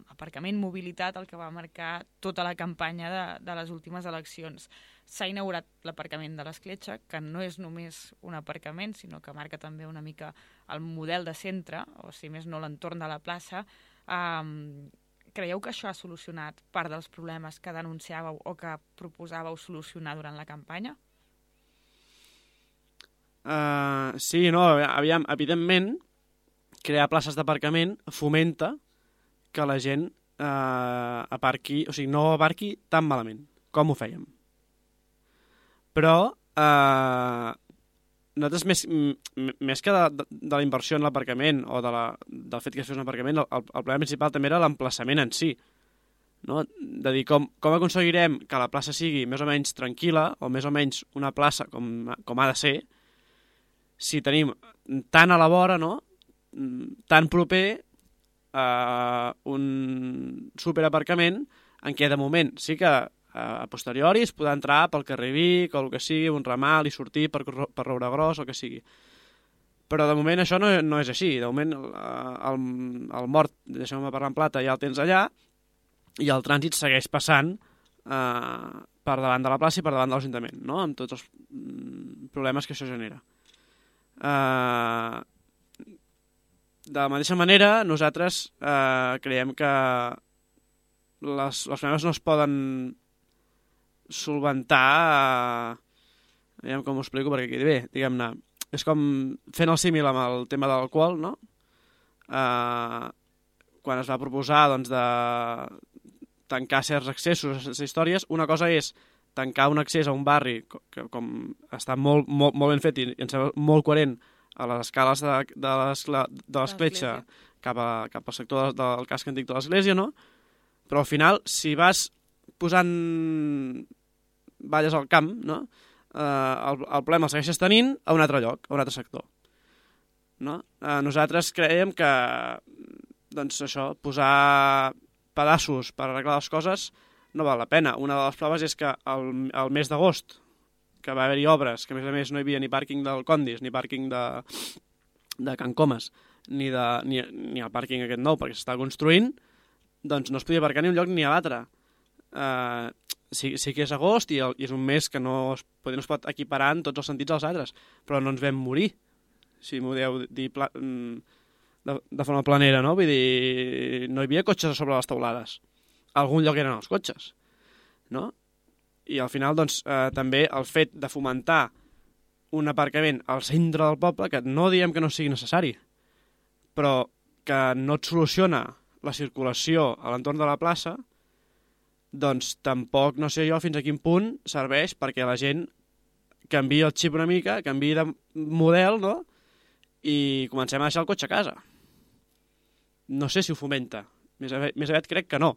A: aparcament, mobilitat, el que va marcar tota la campanya de, de les últimes eleccions. S'ha inaugurat l'aparcament de l'Escletxa, que no és només un aparcament, sinó que marca també una mica el model de centre, o si més no l'entorn de la plaça. Um, creieu que això ha solucionat part dels problemes que denunciàveu o que proposàveu solucionar durant la campanya?
B: Uh, sí, no, aviam, evidentment, crear places d'aparcament fomenta que la gent uh, aparqui, o sigui, no aparqui tan malament com ho fèiem. Però uh, nosaltres, més, més que de, de, de la inversió en l'aparcament o de la, del fet que es fes un aparcament, el, el problema principal també era l'emplaçament en si. No? De dir, com, com aconseguirem que la plaça sigui més o menys tranquil·la o més o menys una plaça com, com ha de ser, si tenim tan a la vora, no? Tan proper a un superaparcament en què de moment sí que a posteriori es podrà entrar pel carrer Vic o el que sigui, un ramal i sortir per, per Rouragros o el que sigui. Però de moment això no, no és així. De moment el, el, el mort, deixem-me parlar en plata, ja el tens allà i el trànsit segueix passant eh, per davant de la plaça i per davant de l'Ajuntament, no? Amb tots els mm, problemes que això genera. Uh, de la mateixa manera nosaltres uh, creiem que les, les problemes no es poden solventar uh, diguem com ho explico perquè quedi bé, diguem-ne, És com fent el símil amb el tema de l'alcohol, no? Uh, quan es va proposar doncs, de tancar certs accessos a aquestes històries, una cosa és tancar un accés a un barri que com està molt, molt, molt ben fet i em sembla molt coherent a les escales de, de l'escletxa cap, a, cap al sector del, del casc antic de l'església, no? Però al final, si vas posant valles al camp, no? Eh, el, el problema el segueixes tenint a un altre lloc, a un altre sector. No? Eh, nosaltres creiem que doncs això, posar pedaços per arreglar les coses no val la pena. Una de les proves és que el, el mes d'agost, que va haver-hi obres, que a més a més no hi havia ni pàrquing del Condis, ni pàrquing de, de Can Comas, ni, de, ni, ni el pàrquing aquest nou, perquè s'està construint, doncs no es podia aparcar ni un lloc ni a l'altre. Uh, sí, sí que és agost i, el, i és un mes que no es, no es pot equiparar en tots els sentits als altres, però no ens vam morir, si m'ho deu dir pla, de, de forma planera, no? Vull dir, no hi havia cotxes a sobre les teulades. A algun lloc eren els cotxes, no? I al final, doncs, eh, també el fet de fomentar un aparcament al centre del poble, que no diem que no sigui necessari, però que no et soluciona la circulació a l'entorn de la plaça, doncs tampoc no sé jo fins a quin punt serveix perquè la gent canviï el xip una mica, canviï de model, no? I comencem a deixar el cotxe a casa. No sé si ho fomenta. Més aviat, més aviat crec que no.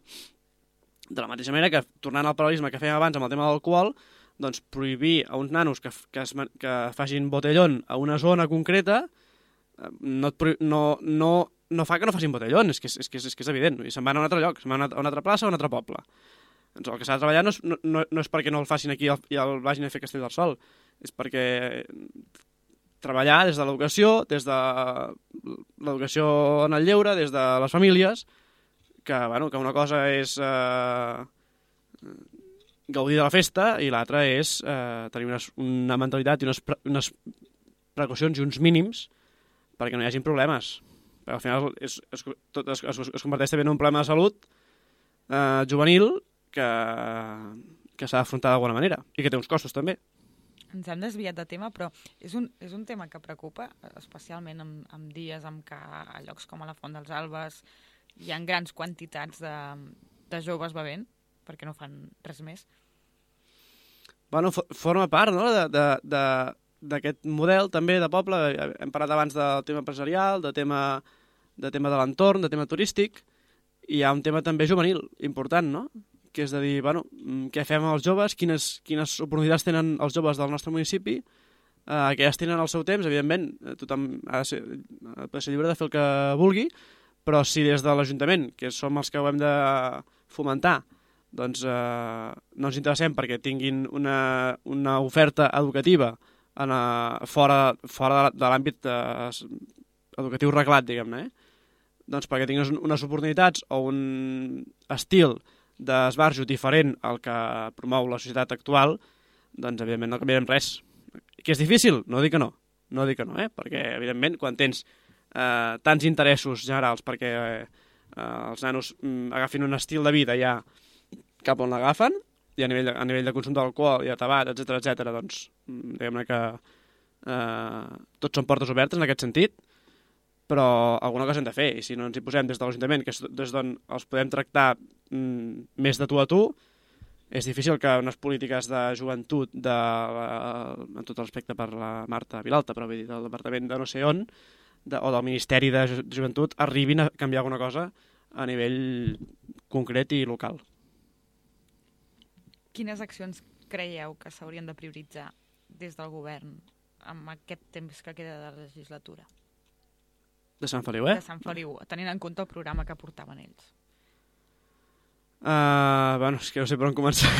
B: De la mateixa manera que, tornant al paral·lelisme que fèiem abans amb el tema de l'alcohol, doncs prohibir a uns nanos que, que, es, que facin botellón a una zona concreta no, no, no, no fa que no facin botellón, és que és, és, que és, és, que és evident. I se'n van a un altre lloc, se'n van a una altra plaça o a un altre poble. Doncs el que s'ha de treballar no és, no, no és perquè no el facin aquí i el vagin a fer Castell del Sol, és perquè treballar des de l'educació, des de l'educació en el lleure, des de les famílies, que, bueno, que una cosa és eh, gaudir de la festa i l'altra és eh, tenir una, una mentalitat i unes, pre, unes precaucions i uns mínims perquè no hi hagin problemes. Perquè al final és, és, tot es, es, es converteix també en un problema de salut eh, juvenil que, que s'ha d'afrontar d'alguna manera i que té uns costos també.
A: Ens hem desviat de tema, però és un, és un tema que preocupa, especialment en, en dies en què a llocs com a la Font dels Albes hi ha grans quantitats de, de joves bevent, perquè no fan res més.
B: Bueno, forma part, no?, d'aquest model també de poble. Hem parlat abans del tema empresarial, de tema de, tema de l'entorn, de tema turístic, i hi ha un tema també juvenil important, no?, que és de dir, bueno, què fem amb els joves, quines, quines oportunitats tenen els joves del nostre municipi, eh, que ja es tenen al seu temps, evidentment, tothom ha de ser, ha de ser lliure de fer el que vulgui, però si des de l'Ajuntament, que som els que ho hem de fomentar, doncs eh, no ens interessem perquè tinguin una, una oferta educativa en, a, fora, fora de l'àmbit eh, educatiu reglat, diguem-ne, eh? Doncs perquè tinguin unes oportunitats o un estil d'esbarjo diferent al que promou la societat actual, doncs evidentment no canviarem res. Que és difícil? No dic que no. No dic que no, eh? Perquè evidentment quan tens eh, tants interessos generals perquè eh, els nanos mm, agafin un estil de vida ja cap on l'agafen, i a nivell, de, a nivell de consum d'alcohol i de tabac, etcètera, etcètera, doncs diguem-ne que eh, tots són portes obertes en aquest sentit, però alguna cosa hem de fer, i si no ens hi posem des de l'Ajuntament, que és des d'on els podem tractar mm, més de tu a tu, és difícil que unes polítiques de joventut de, en tot respecte per la Marta Vilalta, però vull dir, del departament de no sé on, de, o del Ministeri de Joventut, arribin a canviar alguna cosa a nivell concret i local.
A: Quines accions creieu que s'haurien de prioritzar des del govern amb aquest temps que queda de legislatura?
B: De Sant Feliu, eh?
A: De Sant Feliu, tenint en compte el programa que portaven ells.
B: Uh, bueno, és que no sé per on començar.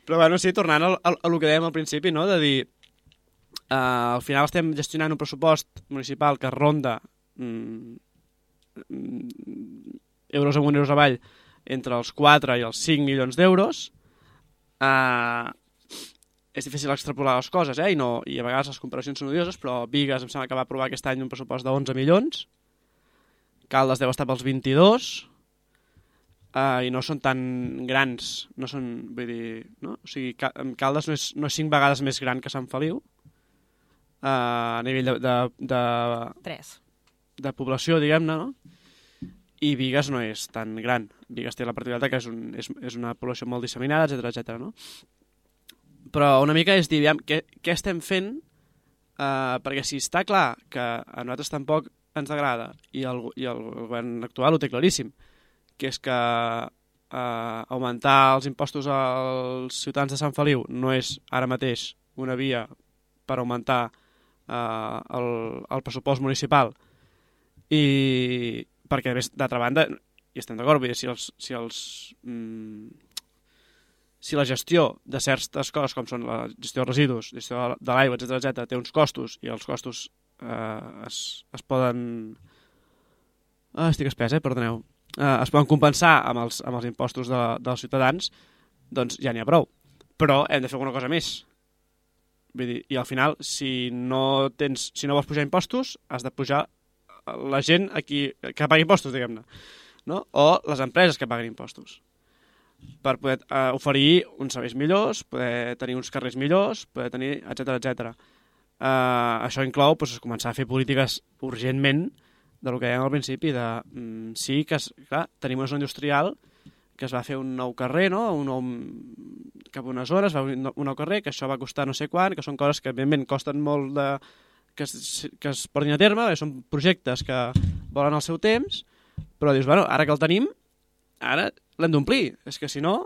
B: Però bueno, sí, tornant al, al, al que dèiem al principi, no?, de dir, uh, al final estem gestionant un pressupost municipal que ronda mm, euros amunt, euros avall, entre els quatre i els cinc milions d'euros. Uh, és difícil extrapolar les coses, eh? I, no, i a vegades les comparacions són odioses, però Bigues em sembla que va aprovar aquest any un pressupost d'onze milions, Caldes deu estar pels vint-i-dos, uh, i no són tan grans, no són, vull dir, no? O sigui, Caldes no és, no és cinc vegades més gran que Sant Feliu, a nivell de, de, de,
A: Tres.
B: de població, diguem-ne, no? I Bigues no és tan gran. Bigues té la particularitat que és, un, és, és una població molt disseminada, etcètera, etcètera, no? Però una mica és dir, aviam, què, què estem fent? Uh, perquè si està clar que a nosaltres tampoc ens agrada i el, i el govern actual ho té claríssim, que és que uh, augmentar els impostos als ciutadans de Sant Feliu no és ara mateix una via per augmentar uh, el, el pressupost municipal, i perquè d'altra banda, i estem d'acord, vull dir, si els, si els mm, si la gestió de certes coses com són la gestió de residus, gestió de l'aigua, etcètera, etcètera, té uns costos i els costos eh, es, es poden... Ah, estic espès, eh? Perdoneu. Eh, es poden compensar amb els, amb els impostos de, dels ciutadans, doncs ja n'hi ha prou. Però hem de fer alguna cosa més. Vull dir, i al final, si no tens, si no vols pujar impostos, has de pujar la gent a qui, que pagui impostos, diguem-ne, no? O les empreses que paguen impostos, per poder uh, oferir uns serveis millors, poder tenir uns carrers millors, poder tenir, etcètera, etcètera. Uh, això inclou pues, començar a fer polítiques urgentment del que dèiem al principi, de mm, sí que, es, clar, tenim una zona industrial que es va fer un nou carrer, no? un nou, cap a una zona, es va fer un nou carrer, que això va costar no sé quant, que són coses que evidentment costen molt de, que, es, que es portin a terme, són projectes que volen el seu temps, però dius, bueno, ara que el tenim, ara l'hem d'omplir, és que si no,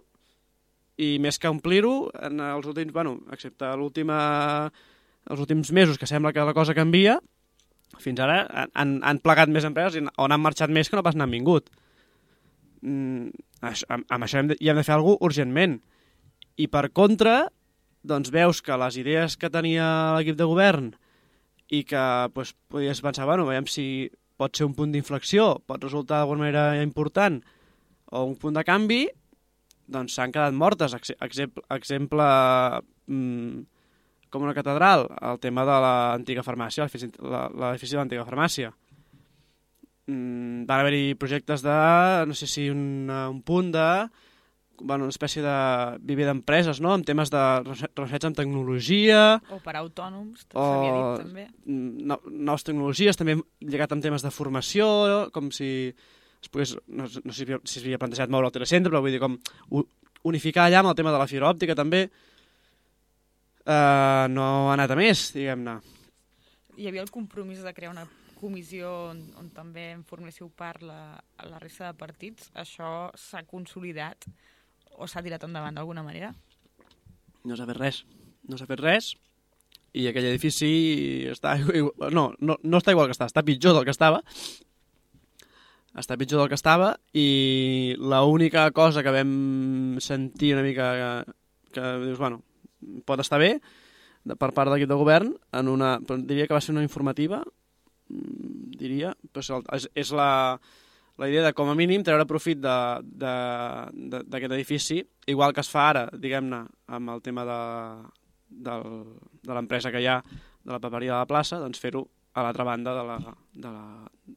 B: i més que omplir-ho, en els últims, bueno, excepte l'última, els últims mesos que sembla que la cosa canvia, fins ara han, han plegat més empreses on han marxat més que no pas n'han vingut. Mm, això, amb, amb això hem de, hi hem de fer alguna cosa urgentment. I per contra, doncs veus que les idees que tenia l'equip de govern i que doncs, podies pensar, bueno, veiem si pot ser un punt d'inflexió, pot resultar d'alguna manera important, o un punt de canvi, doncs s'han quedat mortes. Exemple, exemple mmm, com una catedral, el tema de l'antiga farmàcia, l'edifici de l'antiga farmàcia. Mm, van haver-hi projectes de, no sé si un, un punt de, bueno, una espècie de viver d'empreses, no?, amb temes de recerca en tecnologia.
A: O per autònoms, s'havia dit també.
B: No, noves tecnologies, també lligat amb temes de formació, com si... Pogués, no, no sé si s'havia plantejat moure el telecentre, però vull dir com unificar allà amb el tema de la fibra òptica també, uh, no ha anat a més, diguem-ne.
A: Hi havia el compromís de crear una comissió on, on també en forméssiu part la, la resta de partits. Això s'ha consolidat o s'ha tirat endavant d'alguna manera?
B: No s'ha fet res, no s'ha fet res, i aquell edifici està igual, no, no, no està igual que està, està pitjor del que estava, està pitjor del que estava, i l'única cosa que vam sentir una mica que, que dius, bueno, pot estar bé, de, per part de l'equip de govern, en una, diria que va ser una informativa, diria, però és, és la, la idea de, com a mínim, treure profit d'aquest edifici, igual que es fa ara, diguem-ne, amb el tema de, de, de l'empresa que hi ha, de la paperia de la plaça, doncs fer-ho a l'altra banda de la, de la,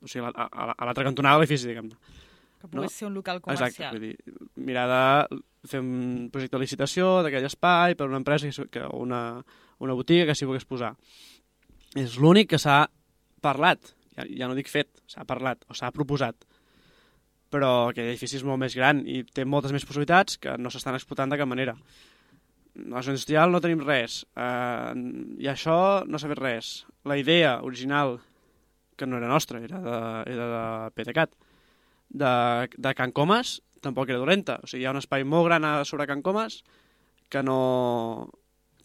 B: o sigui, a, a, a l'altra cantonada de l'edifici, diguem-ne.
A: Que pogués no? ser un local comercial.
B: Exacte, vull dir, mirar de fer un projecte de licitació d'aquell espai per una empresa que, o una, una botiga que s'hi volgués posar. És l'únic que s'ha parlat, ja, ja no dic fet, s'ha parlat o s'ha proposat, però aquell edifici és molt més gran i té moltes més possibilitats que no s'estan explotant de cap manera. A la zona industrial no tenim res, eh, i això no s'ha fet res. La idea original, que no era nostra, era de, era de PDeCAT, de, de Can Comas, tampoc era dolenta. O sigui, hi ha un espai molt gran sobre Can Comas que no,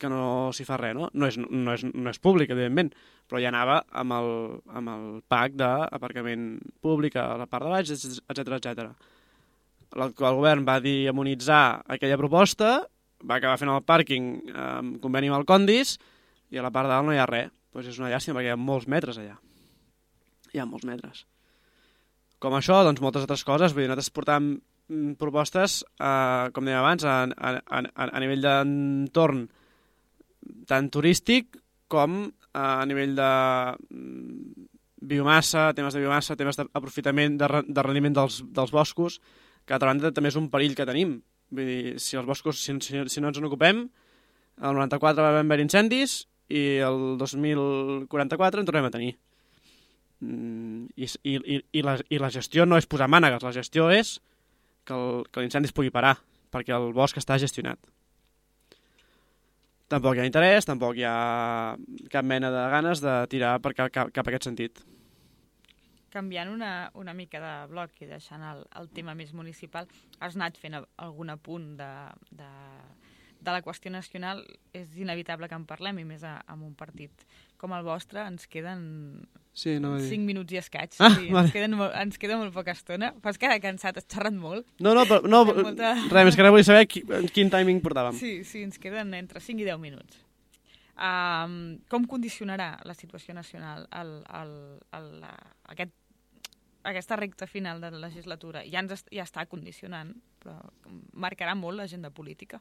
B: que no s'hi fa res, no? No és, no, és, no és públic, evidentment, però ja anava amb el, amb el pack d'aparcament públic a la part de baix, etcètera, etcètera. L'actual govern va demonitzar aquella proposta, va acabar fent el pàrquing amb conveni amb el Condis, i a la part de dalt no hi ha res. Pues és una llàstima, perquè hi ha molts metres allà. Hi ha molts metres. Com això, doncs moltes altres coses. Vull dir, nosaltres portàvem propostes, eh, com dèiem abans, a, a, a, a nivell d'entorn tant turístic com a nivell de biomassa, temes de biomassa, temes d'aprofitament, de, de rendiment dels, dels boscos, que a banda també és un perill que tenim. Vull dir, si els boscos, si, si, si no ens en ocupem, el noranta-quatre va haver incendis i el dos mil quaranta-quatre en tornem a tenir. Mm, i, i, i, la, I la gestió no és posar mànegues, la gestió és que, el, que l'incendi es pugui parar, perquè el bosc està gestionat. Tampoc hi ha interès, tampoc hi ha cap mena de ganes de tirar per cap, cap, cap a aquest sentit.
A: Canviant una, una mica de bloc i deixant el, el tema més municipal, has anat fent algun apunt de, de, de la qüestió nacional. És inevitable que en parlem, i més a, amb un partit com el vostre. Ens queden
B: sí, no
A: cinc minuts i escaig.
B: Ah,
A: sí,
B: vale.
A: ens, queden molt, ens queda molt poca estona. Fas cara cansat, has xerrat molt.
B: No, no, però, no molta... res més que ara vull saber qui, quin timing portàvem.
A: Sí, sí, ens queden entre cinc i deu minuts. Um, com condicionarà la situació nacional el, el, el, el, aquest, aquesta recta final de la legislatura? Ja, ens, ja està condicionant, però marcarà molt l'agenda política.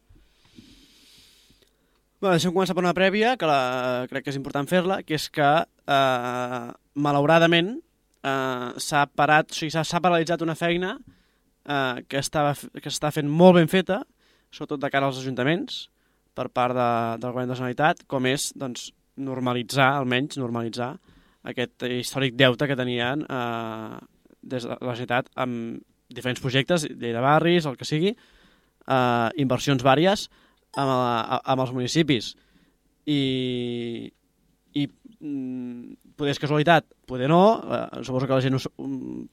B: Bé, deixem començar per una prèvia, que la, crec que és important fer-la, que és que, eh, malauradament, eh, s'ha parat, o sigui, s'ha paralitzat una feina eh, que estava, que està fent molt ben feta, sobretot de cara als ajuntaments, per part de, del govern de la Generalitat, com és doncs, normalitzar, almenys normalitzar, aquest històric deute que tenien eh, des de la Generalitat amb diferents projectes, llei de barris, el que sigui, eh, inversions vàries amb, a, amb els municipis. I, i mm, poder és casualitat, poder no, eh, suposo que la gent ho,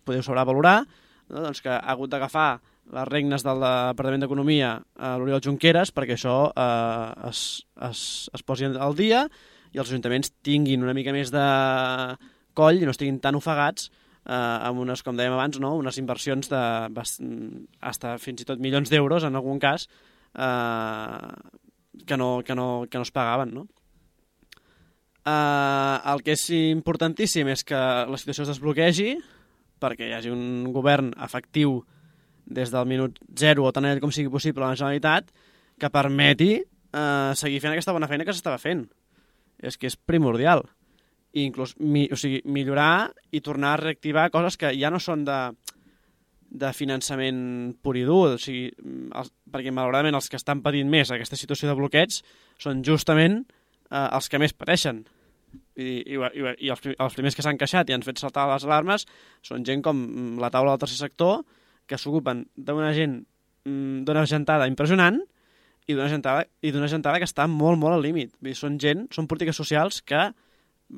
B: podeu sabrà valorar, no? Doncs que ha hagut d'agafar les regnes del Departament d'Economia a l'Oriol Junqueras perquè això eh, es, es, es posi al dia i els ajuntaments tinguin una mica més de coll i no estiguin tan ofegats eh, amb unes, com dèiem abans, no? Unes inversions de hasta fins i tot milions d'euros en algun cas eh, que, no, que, no, que no es pagaven, no? Eh, el que és importantíssim és que la situació es desbloquegi perquè hi hagi un govern efectiu des del minut zero o tant ell com sigui possible a la Generalitat que permeti eh, seguir fent aquesta bona feina que s'estava fent. És que és primordial. I inclús mi, o sigui, millorar i tornar a reactivar coses que ja no són de, de finançament pur i dur, o sigui, els, perquè malauradament els que estan patint més aquesta situació de bloqueig són justament eh, els que més pateixen. I, i, i, i els, els primers que s'han queixat i han fet saltar les alarmes són gent com la taula del tercer sector, que s'ocupen d'una gent, d'una gentada impressionant i d'una gentada, i d'una gentada que està molt, molt al límit. Vull dir, són gent, són polítiques socials que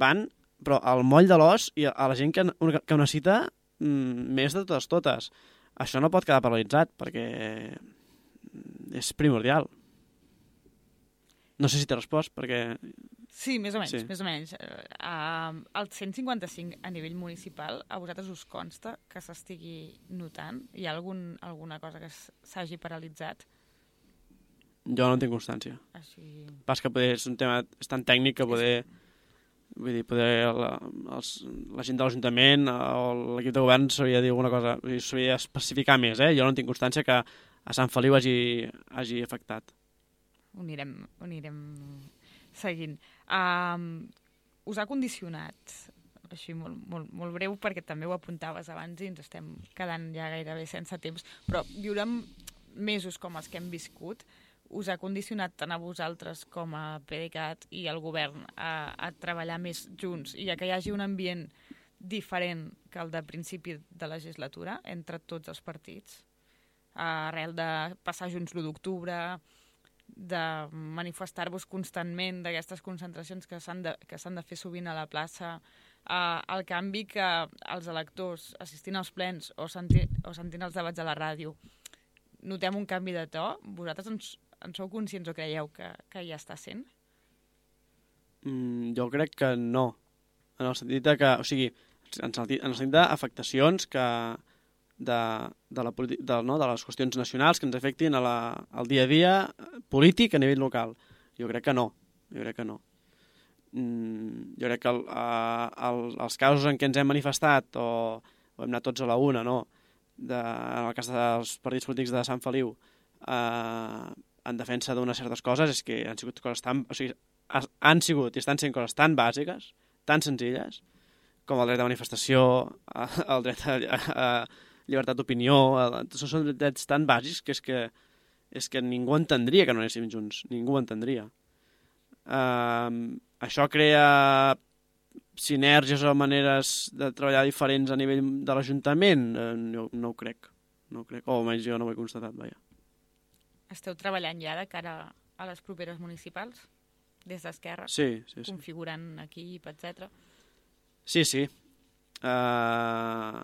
B: van, però al moll de l'os i a la gent que, que ho necessita mm, més de totes totes. Això no pot quedar paralitzat perquè és primordial. No sé si t'he respost, perquè...
A: Sí, més o menys,
B: sí.
A: més o menys. Uh, el cent cinquanta-cinc a nivell municipal, a vosaltres us consta que s'estigui notant? Hi ha algun, alguna cosa que s'hagi paralitzat?
B: Jo no en tinc constància.
A: Així...
B: Pas que poder, és un tema és tan tècnic que poder... Vull dir, poder la, els, la gent de l'Ajuntament o l'equip de govern s'hauria de dir alguna cosa, s'hauria d'especificar més, eh? Jo no tinc constància que a Sant Feliu hagi, hagi afectat.
A: Ho anirem, ho anirem seguint. Um, us ha condicionat, així molt, molt, molt breu, perquè també ho apuntaves abans i ens estem quedant ja gairebé sense temps, però viure mesos com els que hem viscut us ha condicionat tant a vosaltres com a PDeCAT i al govern a, a treballar més junts i a que hi hagi un ambient diferent que el de principi de legislatura entre tots els partits, arrel de passar junts l'u d'octubre, de manifestar-vos constantment d'aquestes concentracions que s'han de, que s'han de fer sovint a la plaça, eh, el canvi que els electors assistint als plens o, senti, o sentint els debats a la ràdio notem un canvi de to. Vosaltres ens, en sou conscients o creieu que, que ja està sent?
B: Mm, jo crec que no. En el sentit de que, o sigui, en el sentit, en el sentit d'afectacions que de, de, la, de, no, de les qüestions nacionals que ens afectin a la, al dia a dia polític a nivell local. Jo crec que no. Jo crec que no. Mm, jo crec que el, el, els casos en què ens hem manifestat o, o hem anat tots a la una, no? De, en el cas dels partits polítics de Sant Feliu, eh, en defensa d'unes certes coses, és que han sigut coses tan... O sigui, han sigut i estan sent coses tan bàsiques, tan senzilles, com el dret de manifestació, el dret a, a, a llibertat d'opinió, són drets tan bàsics que és que, és que ningú entendria que no anéssim junts, ningú entendria. Uh, això crea sinergies o maneres de treballar diferents a nivell de l'Ajuntament? Eh, no, no ho crec. No ho crec. O almenys jo no ho he constatat, vaja.
A: Esteu treballant ja de cara a les properes municipals? Des d'Esquerra?
B: Sí, sí, sí.
A: Configurant equip, etcètera.
B: Sí, sí. Uh,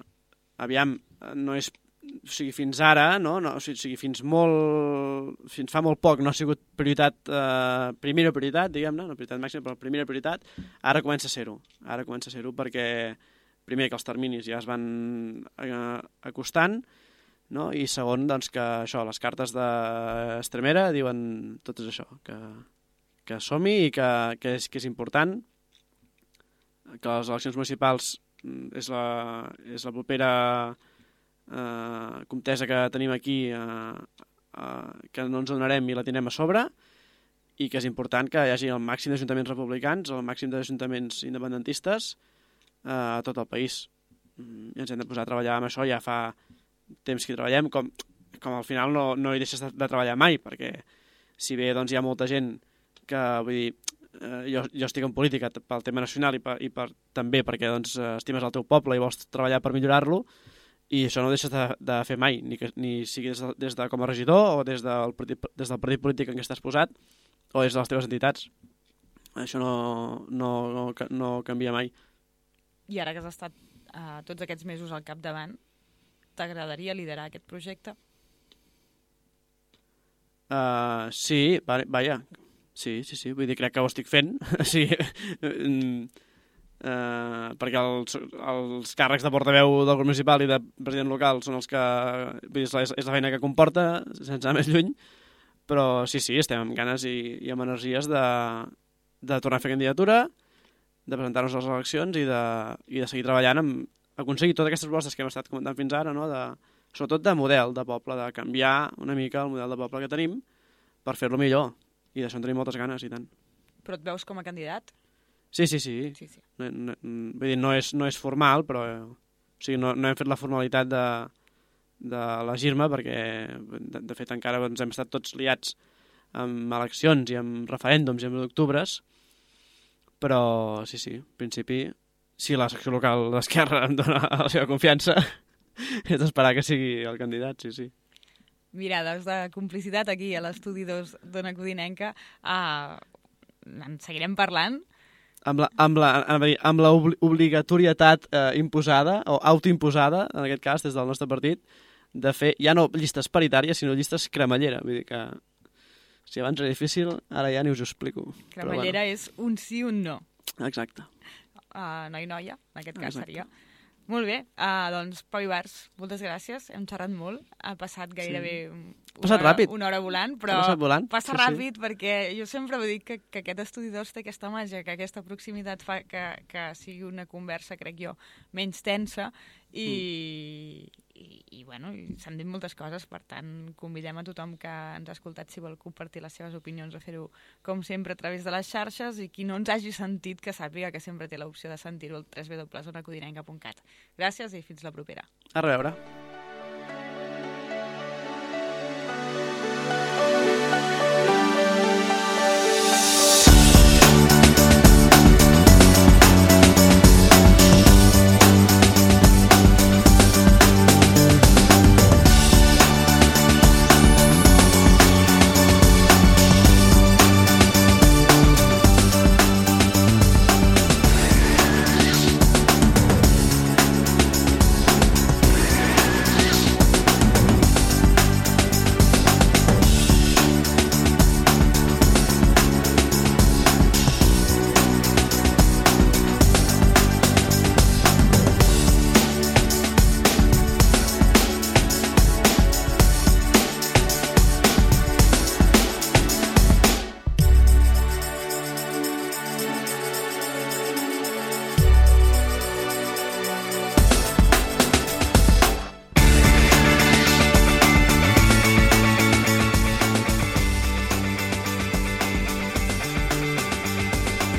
B: aviam, no és... O sigui, fins ara, no? no o sigui, fins molt... Fins fa molt poc no ha sigut prioritat... Uh, primera prioritat, diguem-ne, no prioritat màxima, però primera prioritat. Ara comença a ser-ho. Ara comença a ser-ho perquè, primer, que els terminis ja es van uh, acostant, no? I segon, doncs, que això, les cartes d'Estremera diuen tot és això, que, que som-hi i que, que, és, que és important que les eleccions municipals és la, és la propera eh, comtesa que tenim aquí, eh, eh, que no ens donarem i la tindrem a sobre, i que és important que hi hagi el màxim d'ajuntaments republicans, el màxim d'ajuntaments independentistes eh, a tot el país. I ens hem de posar a treballar amb això, ja fa temps que hi treballem, com, com al final no, no hi deixes de, de treballar mai, perquè si bé doncs, hi ha molta gent que, vull dir, eh, jo, jo estic en política pel tema nacional i, per, i per, també perquè doncs, estimes el teu poble i vols treballar per millorar-lo, i això no ho deixes de, de fer mai, ni, que, ni sigui des de, des de com a regidor o des del, partit, des del partit polític en què estàs posat o des de les teves entitats. Això no, no, no, no canvia mai.
A: I ara que has estat eh, tots aquests mesos al capdavant, t'agradaria liderar aquest projecte?
B: Uh, sí, va, vaja, sí, sí, sí, vull dir, crec que ho estic fent, sí, uh, perquè els, els càrrecs de portaveu del grup municipal i de president local són els que, vull dir, és la, és la feina que comporta, sense anar més lluny, però sí, sí, estem amb ganes i, i amb energies de, de tornar a fer candidatura, de presentar-nos a les eleccions i de, i de seguir treballant amb aconseguir totes aquestes propostes que hem estat comentant fins ara, no? De, sobretot de model de poble, de canviar una mica el model de poble que tenim per fer-lo millor. I d'això en tenim moltes ganes, i tant.
A: Però et veus com a candidat?
B: Sí, sí, sí.
A: sí, sí.
B: No, no, vull dir, no és, no és formal, però o sigui, no, no hem fet la formalitat de, d'elegir-me perquè, de, de fet, encara doncs, hem estat tots liats amb eleccions i amb referèndums i amb d'octubres, però sí, sí, en principi, si la secció local d'Esquerra em dona la seva confiança, és d'esperar que sigui el candidat, sí, sí.
A: Mirades de complicitat aquí a l'estudi dos d'Ona Codinenca. Uh, en seguirem parlant.
B: Amb la, amb la, amb la obligatorietat eh, imposada, o autoimposada, en aquest cas, des del nostre partit, de fer, ja no llistes paritàries, sinó llistes cremallera. Vull dir que, si abans era difícil, ara ja ni us ho explico.
A: Cremallera
B: bueno.
A: És un sí, un no.
B: Exacte.
A: Uh, noi, noia, en aquest cas
B: Exacte.
A: seria. Molt bé, uh, doncs Pau Ibars, moltes gràcies, hem xerrat molt, ha passat gairebé
B: sí.
A: una,
B: passat
A: hora,
B: ràpid.
A: una hora volant, però
B: volant.
A: passa
B: sí,
A: ràpid
B: sí.
A: perquè jo sempre ho dic que, que aquest estudi dos té aquesta màgia, que aquesta proximitat fa que, que sigui una conversa, crec jo, menys tensa i, mm. i, i bueno, s'han dit moltes coses, per tant convidem a tothom que ens ha escoltat si vol compartir les seves opinions o fer-ho com sempre a través de les xarxes, i qui no ens hagi sentit que sàpiga que sempre té l'opció de sentir-ho al w w w punt ona codinenca punt cat. Gràcies i fins la propera.
B: A reveure.